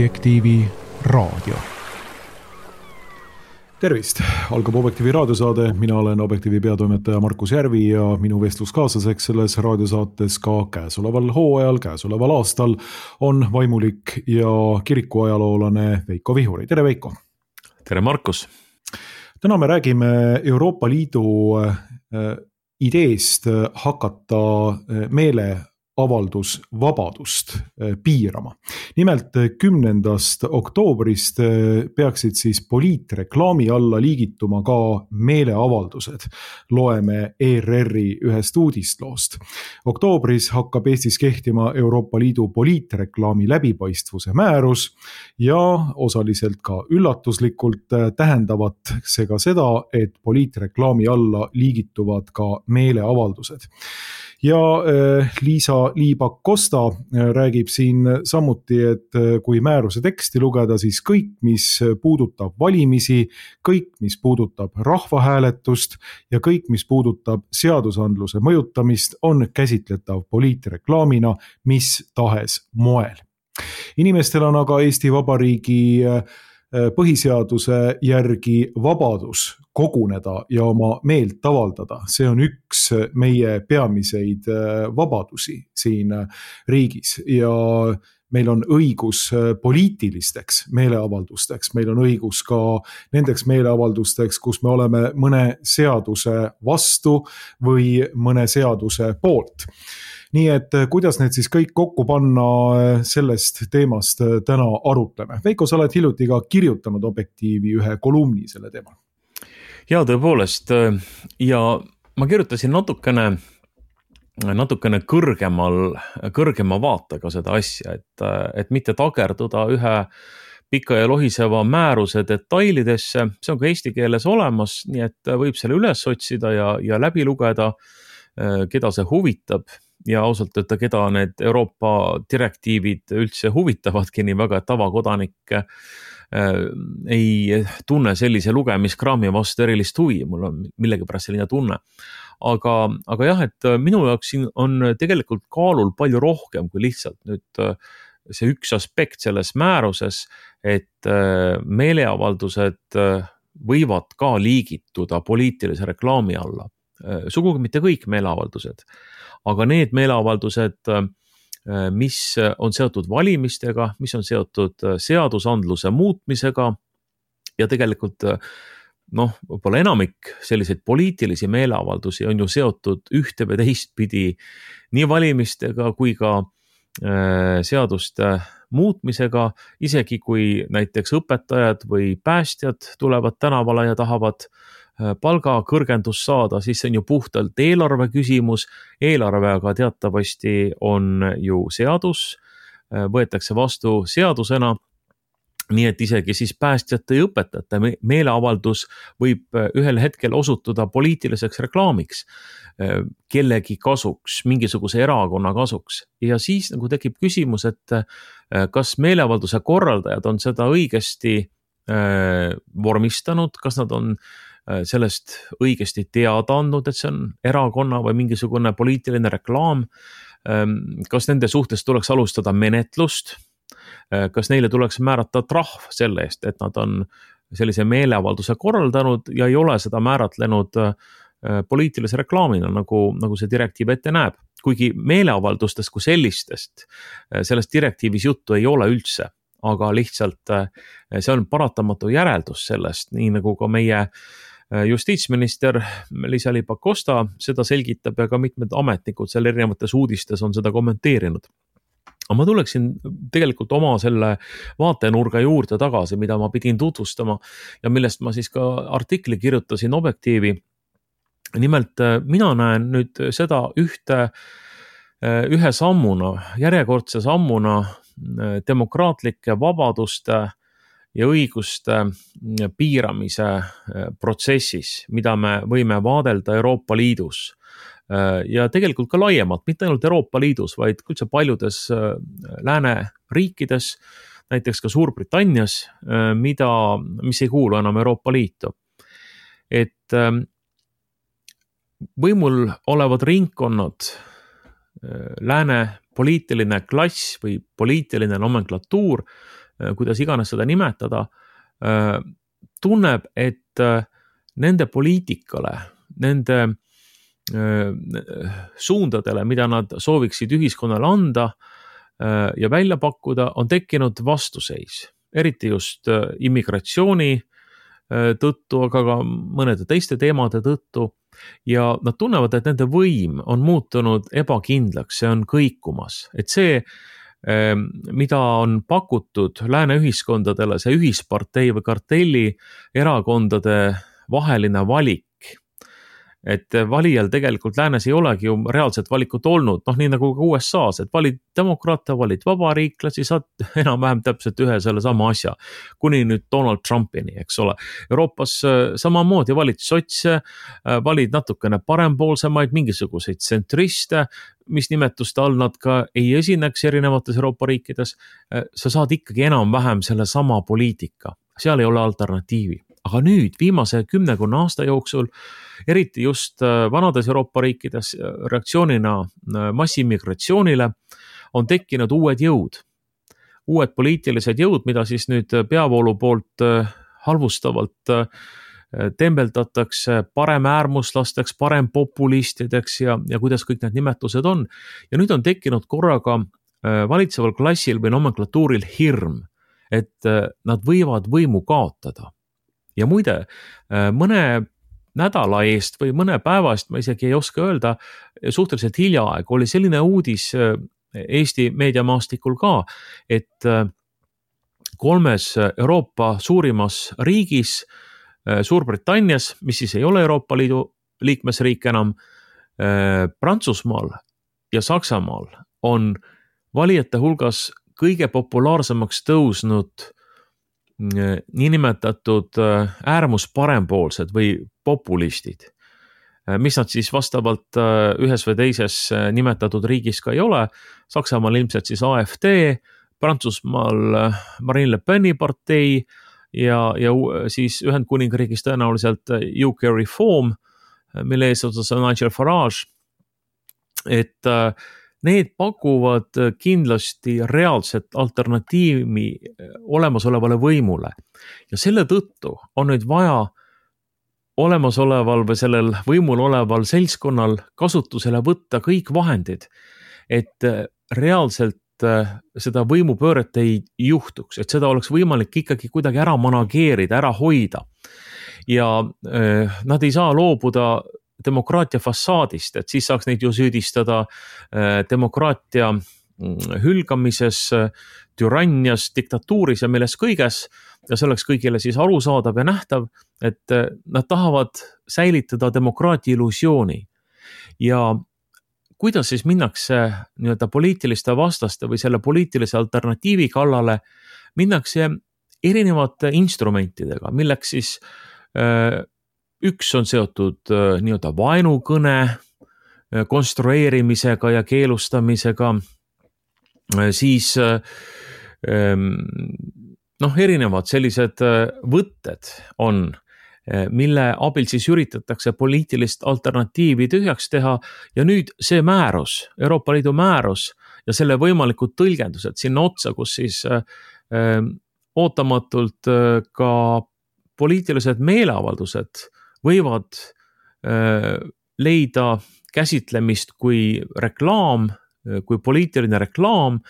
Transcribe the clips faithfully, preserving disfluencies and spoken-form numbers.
Objektiivi raadio. Tervist! Algab Objektiivi raadiosaade. Mina olen Objektiivi peatoimetaja Markus Järvi ja minu vestluskaaslaseks selles raadiosaates ka käesoleval hooajal, käesoleval aastal on vaimulik ja kirikuajaloolane Veiko Vihuri. Tere Veiko! Tere Markus! Täna me räägime Euroopa Liidu ideest hakata meele avaldusvabadust piirama. Nimelt kümnendast oktoobrist peaksid siis poliitreklaami alla liigituma ka meeleavaldused. Loeme E R R-i ühest uudistloost. Oktoobris hakkab Eestis kehtima Euroopa Liidu poliitreklaami läbipaistvuse määrus ja osaliselt ka üllatuslikult tähendavat see ka seda, et poliitreklaami alla liigituvad ka meeleavaldused. Ja Liisa Liibak-Kosta räägib siin samuti, et kui määruse teksti lugeda, siis kõik, mis puudutab valimisi, kõik, mis puudutab rahvahääletust ja kõik, mis puudutab seadusandluse mõjutamist, on käsitletav poliitreklaamina mis tahes moel. Inimestel on aga Eesti Vabariigi põhiseaduse järgi vabadus koguneda ja oma meelt avaldada. See on üks meie peamiseid vabadusi siin riigis ja meil on õigus poliitilisteks meeleavaldusteks, meil on õigus ka nendeks meeleavaldusteks, kus me oleme mõne seaduse vastu või mõne seaduse poolt. Nii et kuidas need siis kõik kokku panna, sellest teemast täna arutleme. Veiko, sa oled hiljuti ka kirjutanud Objektiivi ühe kolumni selle teemal. Ja tõepoolest, ja ma kirjutasin natukene, natukene kõrgemal, kõrgema vaatega seda asja, et, et mitte takerduda ühe pika ja lohiseva määruse detailidesse. See on ka eesti keeles olemas, nii et võib selle üles otsida ja, ja läbi lugeda, keda see huvitab. Ja ausalt öelda, keda need Euroopa direktiivid üldse huvitavadki nii väga, et tavakodanik äh, ei tunne sellise lugemiskraami vastu erilist huvi. Mul on millegipärast selline tunne. Aga, aga jah, et minu jaoks siin on tegelikult kaalul palju rohkem kui lihtsalt nüüd see üks aspekt selles määruses, et äh, meeleavaldused võivad ka liigituda poliitilise reklaami alla. Äh, sugugi mitte kõik meeleavaldused. Aga need meeleavaldused, mis on seotud valimistega, mis on seotud seadusandluse muutmisega ja tegelikult noh, võib-olla enamik selliseid poliitilisi meeleavaldusi on ju seotud ühte või teistpidi nii valimistega kui ka seaduste muutmisega, isegi kui näiteks õpetajad või päästjad tulevad tänavale ja tahavad palga kõrgendus saada, siis see on ju puhtalt eelarve küsimus. Eelarve aga teatavasti on ju seadus, võetakse vastu seadusena, nii et isegi siis päästjate ja õpetajate meeleavaldus võib ühel hetkel osutuda poliitiliseks reklaamiks, kellegi kasuks, mingisuguse erakonna kasuks. Ja siis nagu tekib küsimus, et kas meeleavalduse korraldajad on seda õigesti vormistanud, kas nad on sellest õigesti teada andnud, et see on erakonna või mingisugune poliitiline reklaam, kas nende suhtes tuleks alustada menetlust, kas neile tuleks määrata trahv selle eest, et nad on sellise meeleavalduse korraldanud ja ei ole seda määratlenud poliitilise reklaamina, nagu, nagu see direktiiv ette näeb. Kuigi meeleavaldustest kui sellistest, sellest direktiivis juttu ei ole üldse, aga lihtsalt see on paratamatu järeldus sellest, nii nagu ka meie justiitsminister Liisa Liibak-Kosta seda selgitab ja ka mitmed ametnikud seal erinevates uudistes on seda kommenteerinud. Aga ma tuleksin tegelikult oma selle vaatenurga juurde tagasi, mida ma pidin tutvustama ja millest ma siis ka artikli kirjutasin Objektiivi. Nimelt mina näen nüüd seda ühte, ühe sammuna, järjekordse sammuna demokraatlike vabaduste ja õiguste piiramise protsessis, mida me võime vaadelda Euroopa Liidus ja tegelikult ka laiemalt, mitte ainult Euroopa Liidus, vaid üldse paljudes lääne riikides, näiteks ka Suurbritannias, mida, mis ei kuulu enam Euroopa Liitu. Et võimul olevad ringkonnad, lääne poliitiline klass või poliitiline nomenklatuur kuidas iganes seda nimetada, tunneb, et nende poliitikale, nende suundadele, mida nad sooviksid ühiskonnale anda ja välja pakkuda, on tekkinud vastuseis, eriti just immigratsiooni tõttu, aga ka mõnede teiste teemade tõttu. Ja nad tunnevad, et nende võim on muutunud ebakindlaks, see on kõikumas. Et see, mida on pakutud lääne ühiskondadele, see ühispartei või kartelli erakondade vaheline valik, et valijal tegelikult läänes ei olegi ju reaalset valikut olnud, noh nii nagu ka U S A-s, et valid demokraate, valid vabariiklasi, saad enam-vähem täpselt ühe selle sama asja, kuni nüüd Donald Trumpini, eks ole. Euroopas samamoodi valid sotse, valid natukene parempoolsemaid, mingisuguseid tsentriste, mis nimetuste all nad ka ei esineks erinevates Euroopa riikides, sa saad ikkagi enam-vähem selle sama poliitika, seal ei ole alternatiivi. Aga nüüd viimase kümnekonna aasta jooksul, eriti just vanades Euroopa riikides reaktsioonina massiimmigratsioonile, on tekkinud uued jõud. Uued poliitilised jõud, mida siis nüüd peavoolu poolt halvustavalt tembeldatakse parem äärmuslasteks, parem populistideks ja, ja kuidas kõik need nimetused on. Ja nüüd on tekkinud korraga valitseval klassil või nomenklatuuril hirm, et nad võivad võimu kaotada. Ja muide, mõne nädala eest või mõne päeva eest, ma isegi ei oska öelda, suhteliselt hiljaaeg oli selline uudis Eesti meediamaastikul ka, et kolmes Euroopa suurimas riigis, Suurbritannias, mis siis ei ole Euroopa Liidu liikmesriik enam, Prantsusmaal ja Saksamaal on valijate hulgas kõige populaarsemaks tõusnud niinimetatud äärmus parempoolsed või populistid, mis nad siis vastavalt ühes või teises nimetatud riigis ka ei ole. Saksamaal ilmselt siis A F D, Prantsusmaal Marine Le Peni partei ja, ja siis Ühendkuningriigis tõenäoliselt U K Reform, mille eesotsas on Nigel Farage, et need pakuvad kindlasti reaalset alternatiivi olemasolevale võimule. Ja selle tõttu on nüüd vaja olemasoleval või sellel võimul oleval seltskonnal kasutusele võtta kõik vahendid, et reaalselt seda võimupööret ei juhtuks, et seda oleks võimalik ikkagi kuidagi ära manageerida, ära hoida. Ja nad ei saa loobuda demokraatia fassaadist, et siis saaks neid ju süüdistada demokraatia hülgamises, türannias, diktatuuris ja milles kõiges. Ja see oleks kõigile siis arusaadav ja nähtav, et nad tahavad säilitada demokraatia illusiooni. Ja kuidas siis minnakse nii-öelda poliitiliste vastaste või selle poliitilise alternatiivi kallale, minnakse erinevate instrumentidega, milleks siis üks on seotud nii-öelda vaenukõne konstrueerimisega ja keelustamisega, siis noh, erinevad sellised võtted on, mille abil siis üritatakse poliitilist alternatiivi tühjaks teha ja nüüd see määrus, Euroopa Liidu määrus ja selle võimalikud tõlgendused sinna otsa, kus siis ootamatult ka poliitilised meeleavaldused võivad leida käsitlemist kui reklaam, kui poliitiline reklaam,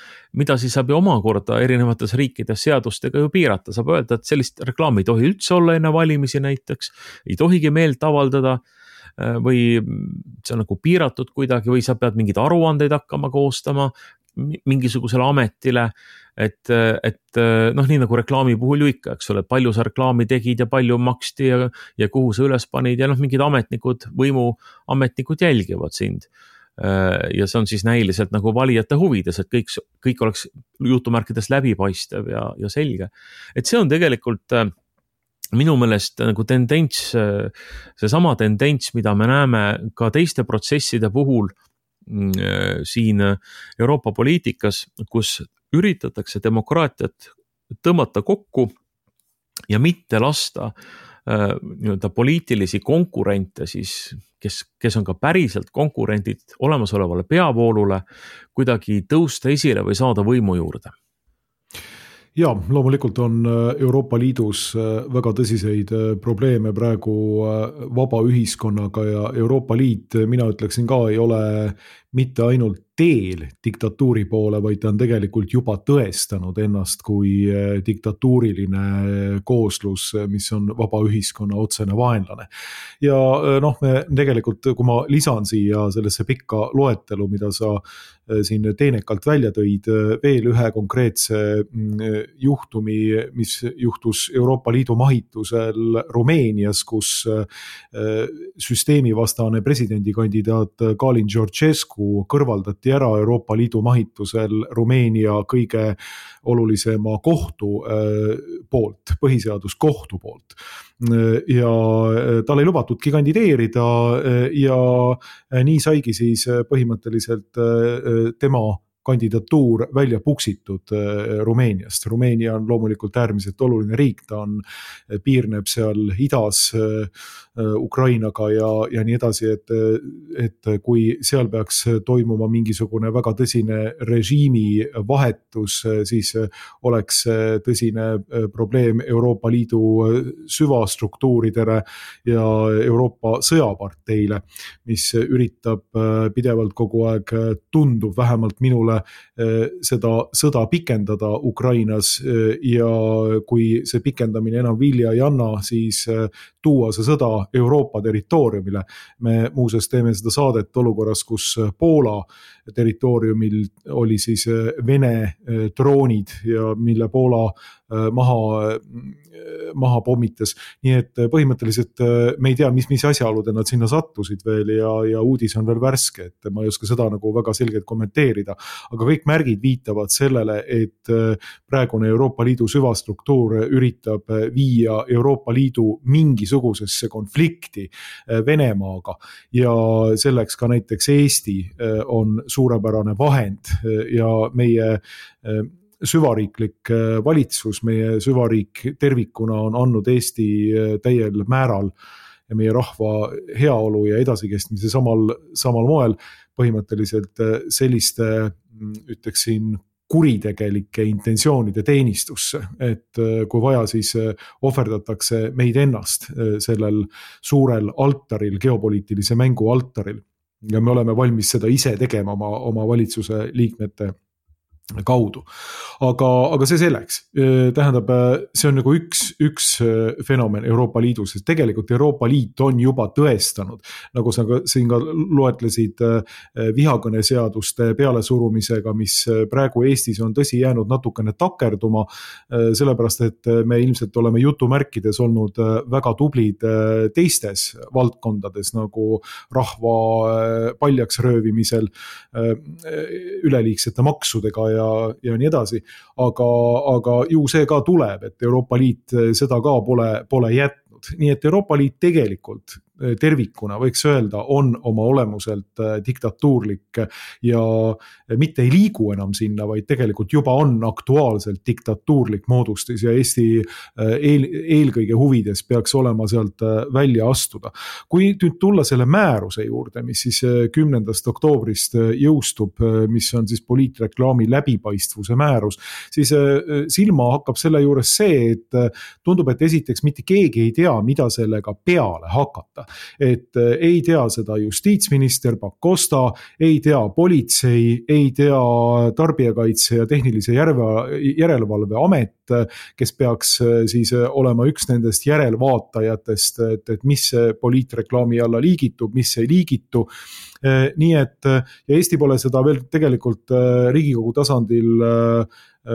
mida siis saab ju omakorda erinevates riikides seadustega ju piirata. Saab öelda, et sellist reklaami ei tohi üldse olla enne valimisi näiteks, ei tohigi meelt avaldada või see on nagu piiratud kuidagi või sa pead mingeid aruandeid hakkama koostama mingisugusele ametile, et, et noh, nii nagu reklaami puhul ju ikka, eks ole, palju sa reklaami tegid ja palju maksti ja, ja kuhu sa üles panid ja noh, mingid ametnikud, võimuametnikud jälgivad sind. Ja see on siis näiliselt nagu valijate huvides, et kõik, kõik oleks jutumärkides läbipaistev ja, ja selge. Et see on tegelikult minu meelest nagu tendents, see sama tendents, mida me näeme ka teiste protsesside puhul siin Euroopa poliitikas, kus üritatakse demokraatiat tõmmata kokku ja mitte lasta nii-öelda poliitilisi konkurente siis, kes, kes on ka päriselt konkurendid olemasolevale peavoolule, kuidagi tõusta esile või saada võimu juurde. Ja loomulikult on Euroopa Liidus väga tõsiseid probleeme praegu vaba ühiskonnaga ja Euroopa Liit, mina ütleksin ka, ei ole mitte ainult teel diktatuuri poole, vaid ta on tegelikult juba tõestanud ennast kui diktatuuriline kooslus, mis on vaba ühiskonna otsene vaenlane. Ja noh, me tegelikult, kui ma lisan siia sellesse pikka loetelu, mida sa siin teenekalt välja tõid, veel ühe konkreetse juhtumi, mis juhtus Euroopa Liidu mahitusel Rumeenias, kus süsteemivastane presidendikandidaat Kalin Georgescu kõrvaldati ära Euroopa Liidu mahitusel Rumeenia kõige olulisema kohtu poolt, põhiseaduskohtu poolt. Ja tal ei lubatudki kandideerida ja nii saigi siis põhimõtteliselt tema kandidatuur välja puksitud Rumeeniast. Rumeenia on loomulikult äärmiselt oluline riik, ta on, piirneb seal idas Ukrainaga ja, ja nii edasi, et, et kui seal peaks toimuma mingisugune väga tõsine režiimi vahetus, siis oleks tõsine probleem Euroopa Liidu süvastruktuuridele ja Euroopa sõjaparteile, mis üritab pidevalt kogu aeg, tundub vähemalt minule, seda sõda pikendada Ukrainas ja kui see pikendamine enam vilja ei anna, siis tuua see sõda Euroopa territooriumile. Me muuseas teeme seda saadet olukorras, kus Poola territooriumil oli siis Vene droonid ja mille Poola maha, maha pommitas. Nii et põhimõtteliselt me ei tea, mis, mis asjaoludel nad sinna sattusid veel ja, ja uudis on veel värske, et ma ei oska seda nagu väga selgelt kommenteerida. Aga kõik märgid viitavad sellele, et praegune Euroopa Liidu süvastruktuur üritab viia Euroopa Liidu mingisugusesse konflikti Venemaaga ja selleks ka näiteks Eesti on suurepärane vahend ja meie süvariiklik valitsus, meie süvariik tervikuna on andnud Eesti täiel määral ja meie rahva heaolu ja edasikestmise samal, samal moel põhimõtteliselt selliste, ütleksin, kuritegelike intentsioonide teenistusse, et kui vaja, siis ohverdatakse meid ennast sellel suurel altaril, geopoliitilise mängu altaril. Ja me oleme valmis seda ise tegema oma, oma valitsuse liikmete kaudu. Aga, aga see selleks. Tähendab, see on nagu üks, üks fenomen Euroopa Liidus, sest tegelikult Euroopa Liit on juba tõestanud, nagu sa siin ka loetlesid vihakõneseaduste pealesurumisega, mis praegu Eestis on tõsi jäänud natukene takerduma, sellepärast, et me ilmselt oleme jutumärkides olnud väga tublid teistes valdkondades, nagu rahva paljaks röövimisel, üleliigsete maksudega ja, ja nii edasi, aga, aga ju see ka tuleb, et Euroopa Liit seda ka pole, pole jätnud. Nii et Euroopa Liit tegelikult tervikuna võiks öelda, on oma olemuselt diktatuurlik ja mitte ei liigu enam sinna, vaid tegelikult juba on aktuaalselt diktatuurlik moodustis ja Eesti eel, eelkõige huvides peaks olema sealt välja astuda. Kui nüüd tulla selle määruse juurde, mis siis kümnendast oktoobrist jõustub, mis on siis poliitreklaami läbipaistvuse määrus, siis silma hakkab selle juures see, et tundub, et esiteks mitte keegi ei tea, mida sellega peale hakata. Et ei tea seda justiitsminister Pakosta, ei tea politsei, ei tea tarbijakaitse ja tehnilise järelevalve amet, kes peaks siis olema üks nendest järelvaatajatest, et, et mis poliitreklaami alla liigitub, mis ei liigitu. Nii et ja Eesti pole seda veel tegelikult Riigikogu tasandil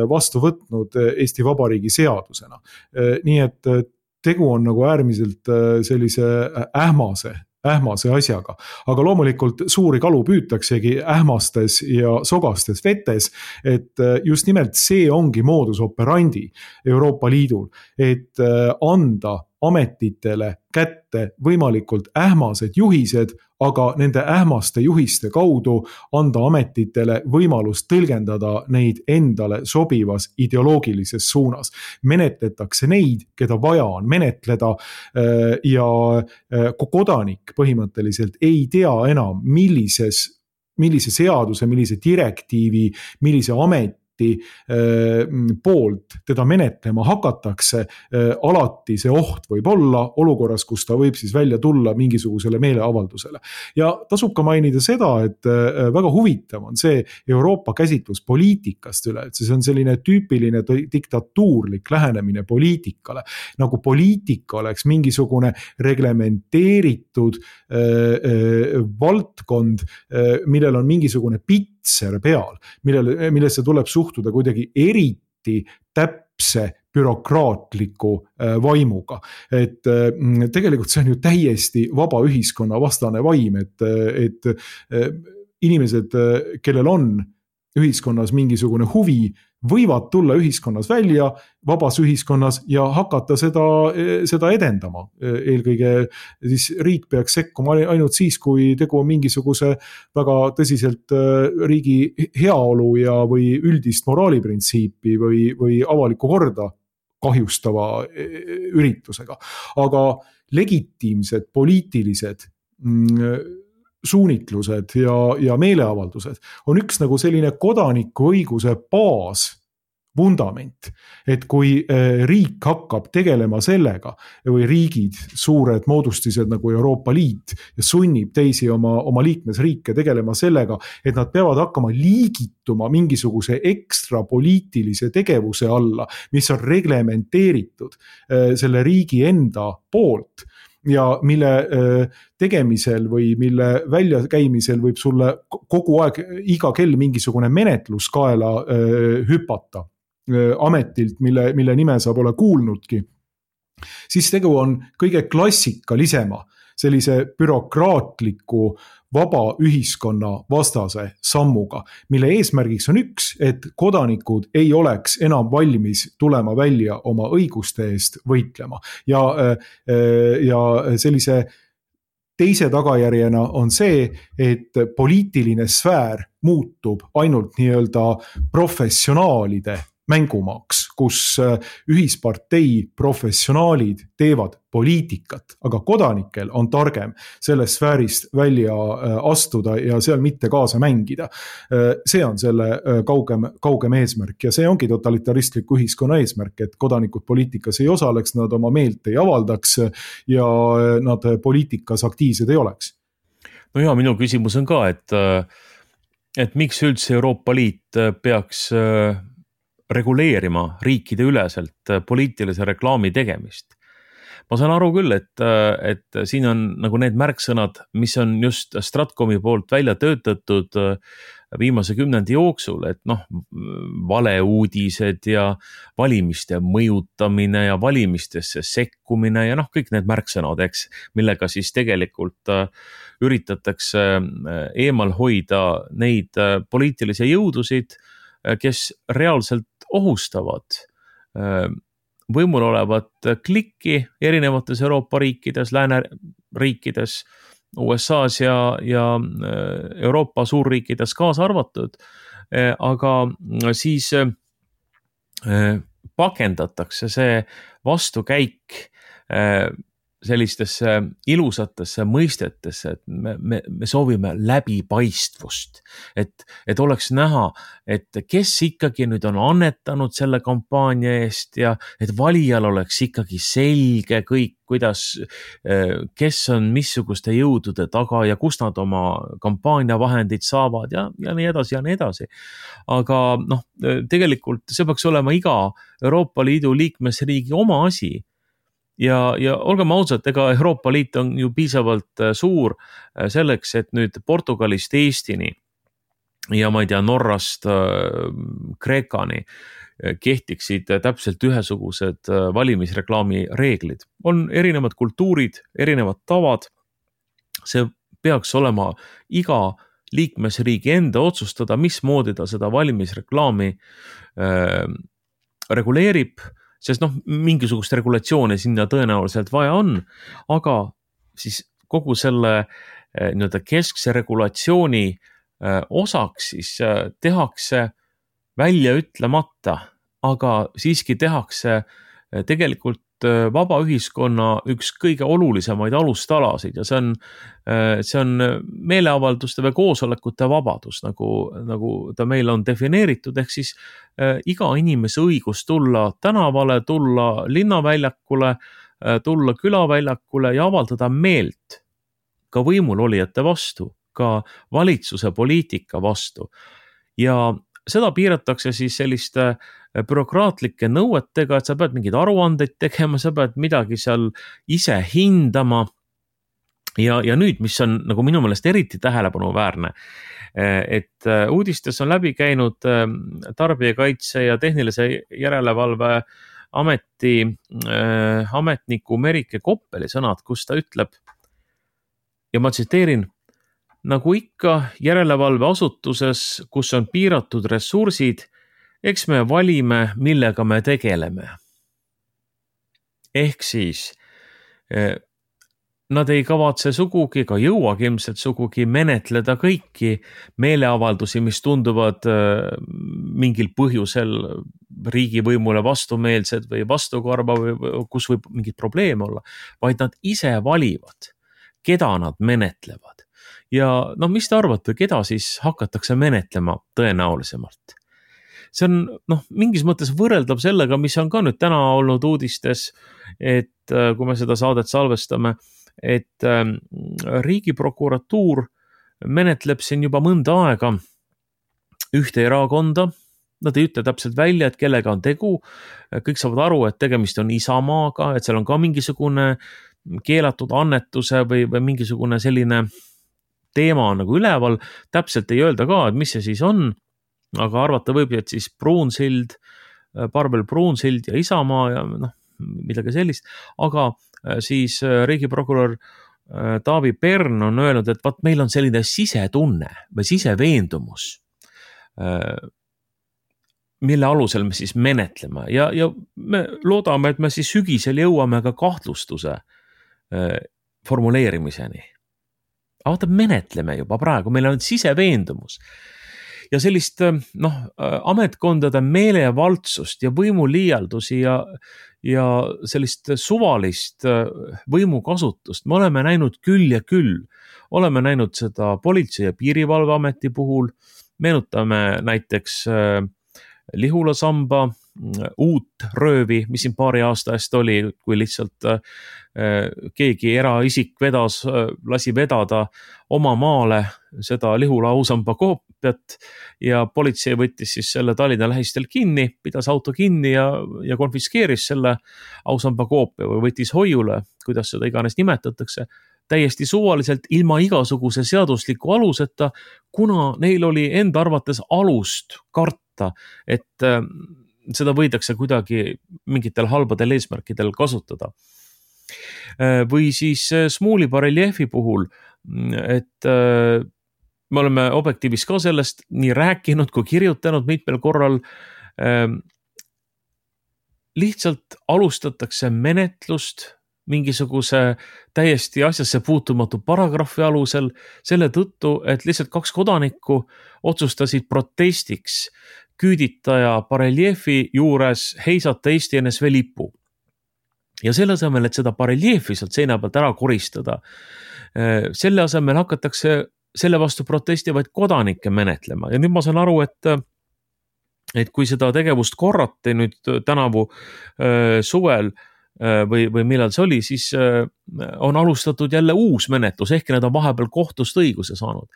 vastu võtnud Eesti Vabariigi seadusena. Nii et tegu on nagu äärmiselt sellise ähmase, ähmase asjaga. Aga loomulikult suuri kalu püütaksegi ähmastes ja sogastes vetes, et just nimelt see ongi modus operandi Euroopa Liidul, et anda ametitele kätte võimalikult ähmased juhised, aga nende ähmaste juhiste kaudu anda ametitele võimalust tõlgendada neid endale sobivas ideoloogilises suunas. Menetletakse neid, keda vaja on menetleda ja kodanik põhimõtteliselt ei tea enam, millises, millise seaduse, millise direktiivi, millise ameti poolt teda menetlema hakatakse, alati see oht võib olla olukorras, kus ta võib siis välja tulla mingisugusele meeleavaldusele. Ja tasub ka mainida seda, et väga huvitav on see Euroopa käsitlus poliitikast üle, et see on selline tüüpiline diktatuurlik lähenemine poliitikale, nagu poliitika oleks mingisugune reglementeeritud äh, äh, valdkond, äh, millel on mingisugune pitser peal, millele, millesse tuleb suhtuda kuidagi eriti täpse bürokraatliku vaimuga. Et tegelikult see on ju täiesti vaba ühiskonna vastane vaim, et, et inimesed, kellel on ühiskonnas mingisugune huvi, võivad tulla ühiskonnas välja, vabas ühiskonnas ja hakata seda, seda edendama. Eelkõige siis riik peaks sekkuma ainult siis, kui tegu on mingisuguse väga tõsiselt riigi heaolu ja või üldist moraaliprintsiipi või, või avalikku korda kahjustava üritusega. Aga legitiimsed poliitilised suunitlused ja, ja meeleavaldused on üks nagu selline kodanikuõiguse baas vundament, et kui riik hakkab tegelema sellega või riigid, suured moodustised nagu Euroopa Liit ja sunnib teisi oma, oma liikmesriike tegelema sellega, et nad peavad hakkama liigituma mingisuguse ekstra poliitilise tegevuse alla, mis on reglementeeritud selle riigi enda poolt ja mille tegemisel või mille väljakäimisel võib sulle kogu aeg iga kell mingisugune menetluskaela hüpata ametilt, mille, mille nime sa pole kuulnudki, siis tegu on kõige klassikalisema sellise bürokraatliku vaba ühiskonna vastase sammuga, mille eesmärgiks on üks, et kodanikud ei oleks enam valmis tulema välja oma õiguste eest võitlema. Ja, ja sellise teise tagajärjena on see, et poliitiline sfäär muutub ainult nii-öelda professionaalide mängumaaks, kus ühispartei professionaalid teevad poliitikat, aga kodanikel on targem sellest sfäärist välja astuda ja seal mitte kaasa mängida. See on selle kaugem, kaugem eesmärk ja see ongi totalitaristliku ühiskonna eesmärk, et kodanikud poliitikas ei osaleks, nad oma meelt ei avaldaks ja nad poliitikas aktiivsed ei oleks. No ja minu küsimus on ka, et, et miks üldse Euroopa Liit peaks reguleerima riikide üleselt poliitilise reklaami tegemist. Ma saan aru küll, et, et siin on nagu need märksõnad, mis on just Stratcomi poolt välja töötatud viimase kümnendi jooksul, et noh, valeuudised ja valimiste mõjutamine ja valimistesse sekkumine ja noh, kõik need märksõnad, eks, millega siis tegelikult üritatakse eemal hoida neid poliitilisi jõudusid, kes reaalselt ohustavad võimul olevat klikki erinevates Euroopa riikides, lääneriikides, U S A-s ja, ja Euroopa suurriikides kaasa arvatud, aga siis pakendatakse see vastukäik sellistesse ilusatesse mõistetesse, et me, me, me soovime läbipaistvust, et, et oleks näha, et kes ikkagi nüüd on annetanud selle kampaania eest ja et valijal oleks ikkagi selge kõik, kuidas, kes on missuguste jõudude taga ja kus nad oma kampaaniavahendid saavad ja, ja nii edasi ja nii edasi. Aga noh, tegelikult see peaks olema iga Euroopa Liidu liikmesriigi oma asi. Ja, ja olgem ausad, ega Euroopa Liit on ju piisavalt suur selleks, et nüüd Portugalist Eestini ja ma ei tea, Norrast Kreekani kehtiksid täpselt ühesugused valimisreklaami reeglid. On erinevad kultuurid, erinevad tavad. See peaks olema iga liikmesriigi enda otsustada, mismoodi ta seda valimisreklaami äh, reguleerib, sest noh, mingisugust regulatsiooni sinna tõenäoliselt vaja on, aga siis kogu selle nii-öelda keskse regulatsiooni osaks siis tehakse välja ütlemata, aga siiski tehakse tegelikult vaba ühiskonna üks kõige olulisemaid alustalasid ja see on, see on meeleavalduste või koosolekute vabadus, nagu, nagu ta meil on defineeritud, ehk siis iga inimese õigus tulla tänavale, tulla linnaväljakule, tulla külaväljakule ja avaldada meelt ka võimulolijate vastu, ka valitsuse poliitika vastu. Ja seda piiratakse siis selliste bürokraatlike nõuetega, et sa pead mingid aruandeid tegema, sa pead midagi seal ise hindama. Ja, ja nüüd, mis on nagu minu meelest eriti tähelepanuväärne, et uudistes on läbi käinud tarbijakaitse ja tehnilise järelevalve ameti äh, ametniku Merike Koppeli sõnad, kus ta ütleb, ja ma tsiteerin, nagu ikka järelevalveasutuses, kus on piiratud ressursid, eks me valime, millega me tegeleme. Ehk siis eh, nad ei kavatse sugugi, ka jõuagi ilmselt sugugi menetleda kõiki meeleavaldusi, mis tunduvad eh, mingil põhjusel riigivõimule vastumeelsed või vastukarva või kus võib mingid probleeme olla, vaid nad ise valivad, keda nad menetlevad. Ja no mis te arvate, keda siis hakatakse menetlema tõenäolisemalt? See on noh, mingis mõttes võrreldav sellega, mis on ka nüüd täna olnud uudistes, et kui me seda saadet salvestame, et riigiprokuratuur menetleb siin juba mõnda aega ühte erakonda. Nad ei ütle täpselt välja, et kellega on tegu. Kõik saavad aru, et tegemist on Isamaaga, et seal on ka mingisugune keelatud annetuse või, või mingisugune selline teema nagu üleval. Täpselt ei öelda ka, et mis see siis on, aga arvata võib, et siis Pruunsild, Parvel Pruunsild ja Isamaa ja noh, midagi sellist. Aga siis riigiprokurör Taavi Pern on öelnud, et vaat meil on selline sisetunne või siseveendumus, mille alusel me siis menetleme ja, ja me loodame, et me siis sügisel jõuame ka kahtlustuse formuleerimiseni. Aga vaata, menetleme juba praegu, meil on siseveendumus. Ja sellist noh, ametkondade meelevaldsust ja võimuliialdusi ja, ja sellist suvalist võimukasutust me oleme näinud küll ja küll. Oleme näinud seda Politsei- ja Piirivalveameti puhul, meenutame näiteks Lihula samba uut röövi, mis siin paari aasta eest oli, kui lihtsalt keegi eraisik vedas, lasi vedada oma maale seda Lihula ausamba koopiat ja politsei võttis siis selle Tallinna lähistel kinni, pidas auto kinni ja, ja konfiskeeris selle ausamba koopia või võttis hoiule, kuidas seda iganes nimetatakse, täiesti suvaliselt ilma igasuguse seadusliku aluseta, kuna neil oli enda arvates alust karta, et seda võidakse kuidagi mingitel halbadel eesmärkidel kasutada. Või siis Smuuli bareljeefi puhul, et me oleme Objektiivis ka sellest nii rääkinud kui kirjutanud mitmel korral. Lihtsalt alustatakse menetlust mingisuguse täiesti asjasse puutumatu paragrahvi alusel selle tõttu, et lihtsalt kaks kodanikku otsustasid protestiks küüditaja bareljeefi juures heisata Eesti N S V lipu. Ja selle asemel, et seda bareljeefi sealt seina pealt ära koristada, selle asemel hakatakse selle vastu protestivaid kodanikke menetlema. Ja nüüd ma saan aru, et, et kui seda tegevust korrati nüüd tänavu suvel või, või millal see oli, siis on alustatud jälle uus menetlus, ehk need on vahepeal kohtust õiguse saanud.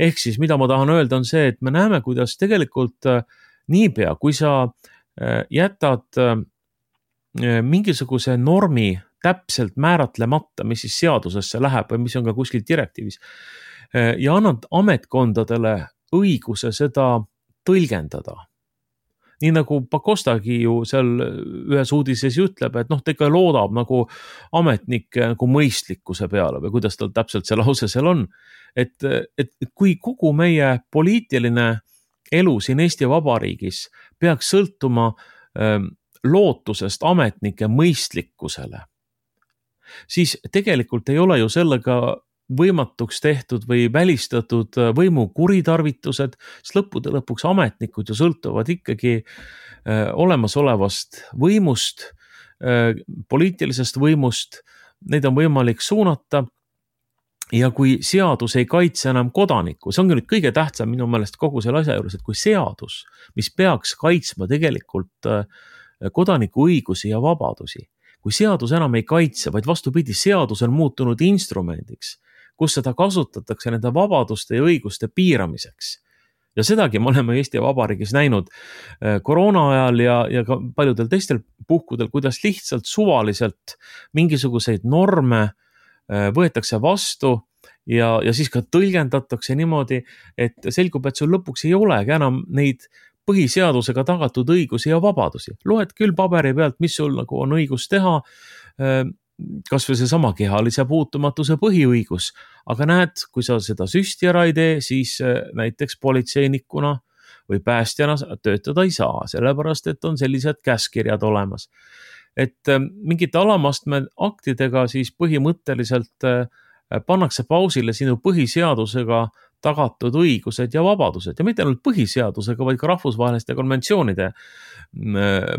Ehk siis, mida ma tahan öelda, on see, et me näeme, kuidas tegelikult niipea, kui sa jätad mingisuguse normi täpselt määratlemata, mis siis seadusesse läheb või mis on ka kuskil direktiivis, ja annad ametkondadele õiguse seda tõlgendada. Nii nagu Pakostagi ju seal ühes uudises ütleb, et noh, ta ikka loodab nagu ametnike nagu mõistlikkuse peale või kuidas tal täpselt see lause seal on. Et, et, et kui kogu meie poliitiline elu siin Eesti Vabariigis peaks sõltuma ähm, lootusest ametnike mõistlikkusele, siis tegelikult ei ole ju sellega võimatuks tehtud või välistatud võimu kuritarvitused, sest lõppude lõpuks ametnikud ju sõltuvad ikkagi olemasolevast võimust, poliitilisest võimust, neid on võimalik suunata. Ja kui seadus ei kaitse enam kodanikku, see ongi nüüd kõige tähtsam minu meelest kogu selle asja juures, et kui seadus, mis peaks kaitsma tegelikult kodaniku õigusi ja vabadusi, kui seadus enam ei kaitse, vaid vastupidi, seadus on muutunud instrumendiks, kus seda kasutatakse nende vabaduste ja õiguste piiramiseks. Ja sedagi me oleme Eesti Vabariigis näinud koroona ajal ja, ja ka paljudel teistel puhkudel, kuidas lihtsalt suvaliselt mingisuguseid norme võetakse vastu ja, ja siis ka tõlgendatakse niimoodi, et selgub, et sul lõpuks ei olegi enam neid põhiseadusega tagatud õigusi ja vabadusi. Loed küll paberi pealt, mis sul nagu on õigus teha, kas või see sama kehalise puutumatuse põhiõigus, aga näed, kui sa seda süsti ära ei tee, siis näiteks politseinikuna või päästjana töötada ei saa, sellepärast et on sellised käskirjad olemas. Et mingite alamastme aktidega siis põhimõtteliselt pannakse pausile sinu põhiseadusega tagatud õigused ja vabadused ja mitte ainult põhiseadusega, vaid ka rahvusvaheliste konventsioonide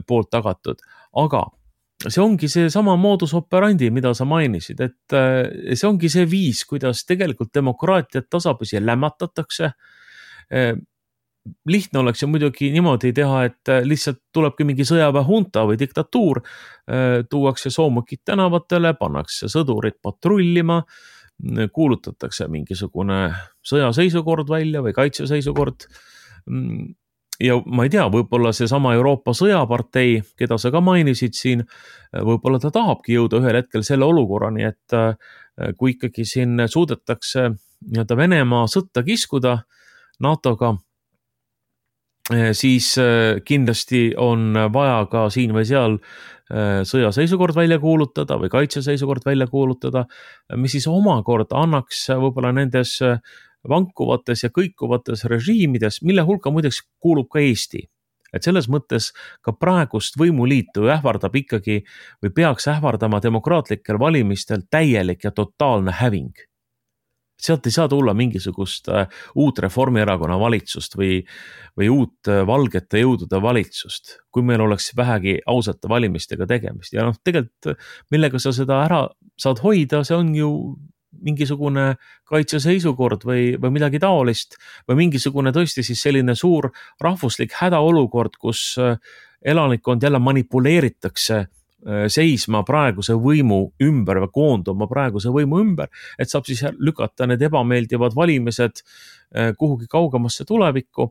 poolt tagatud. Aga see ongi see sama modus operandi, mida sa mainisid, et see ongi see viis, kuidas tegelikult demokraatiat tasapisi lämmatatakse. Lihtne oleks ju muidugi niimoodi teha, et lihtsalt tulebki mingi sõjaväehunta või diktatuur, tuuakse soomukid tänavatele, pannakse sõdurid patrullima, kuulutatakse mingisugune sõjaseisukord välja või kaitseseisukord. Ja ma ei tea, võib-olla see sama Euroopa sõjapartei, keda sa ka mainisid siin, võib-olla ta tahabki jõuda ühel hetkel selle olukorrani, et kui ikkagi siin suudetakse nii-öelda Venemaa sõtta kiskuda NATOga, siis kindlasti on vaja ka siin või seal sõjaseisukord välja kuulutada või kaitseseisukord välja kuulutada, mis siis omakorda annaks võib-olla nendes vankuvates ja kõikuvates režiimides, mille hulka muideks kuulub ka Eesti. Et selles mõttes ka praegust võimuliitu ähvardab ikkagi või peaks ähvardama demokraatlikel valimistel täielik ja totaalne häving. Sealt ei saa tulla mingisugust uut Reformierakonna valitsust või, või uut valgete jõudude valitsust, kui meil oleks vähegi ausate valimistega tegemist. Ja noh, tegelikult millega sa seda ära saad hoida, see on ju mingisugune kaitseseisukord või, või midagi taolist või mingisugune tõesti siis selline suur rahvuslik hädaolukord, kus elanikkond jälle manipuleeritakse seisma praeguse võimu ümber või koonduma praeguse võimu ümber, et saab siis lükata need ebameeldivad valimised kuhugi kaugemasse tulevikku.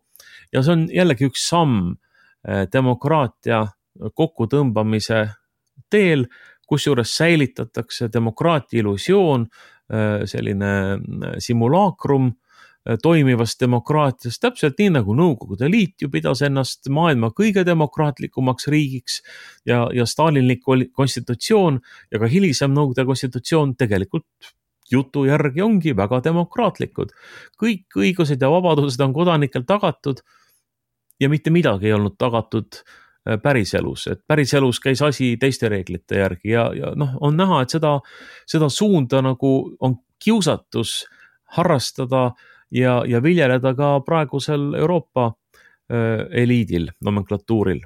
Ja see on jällegi üks samm demokraatia kokkutõmbamise teel, kus juures säilitatakse demokraatia illusioon, selline simulaakrum toimivast demokraatiast, täpselt nii nagu Nõukogude Liit ju pidas ennast maailma kõige demokraatlikumaks riigiks ja, ja Stalinlik konstitutsioon ja ka hilisem Nõukogude konstitutsioon tegelikult jutu järgi ongi väga demokraatlikud. Kõik õigused ja vabadused on kodanikel tagatud ja mitte midagi ei olnud tagatud päriselus, et päriselus käis asi teiste reeglite järgi ja, ja noh, on näha, et seda, seda suunda nagu on kiusatus harrastada ja, ja viljeleda ka praegusel Euroopa äh, eliidil, nomenklatuuril.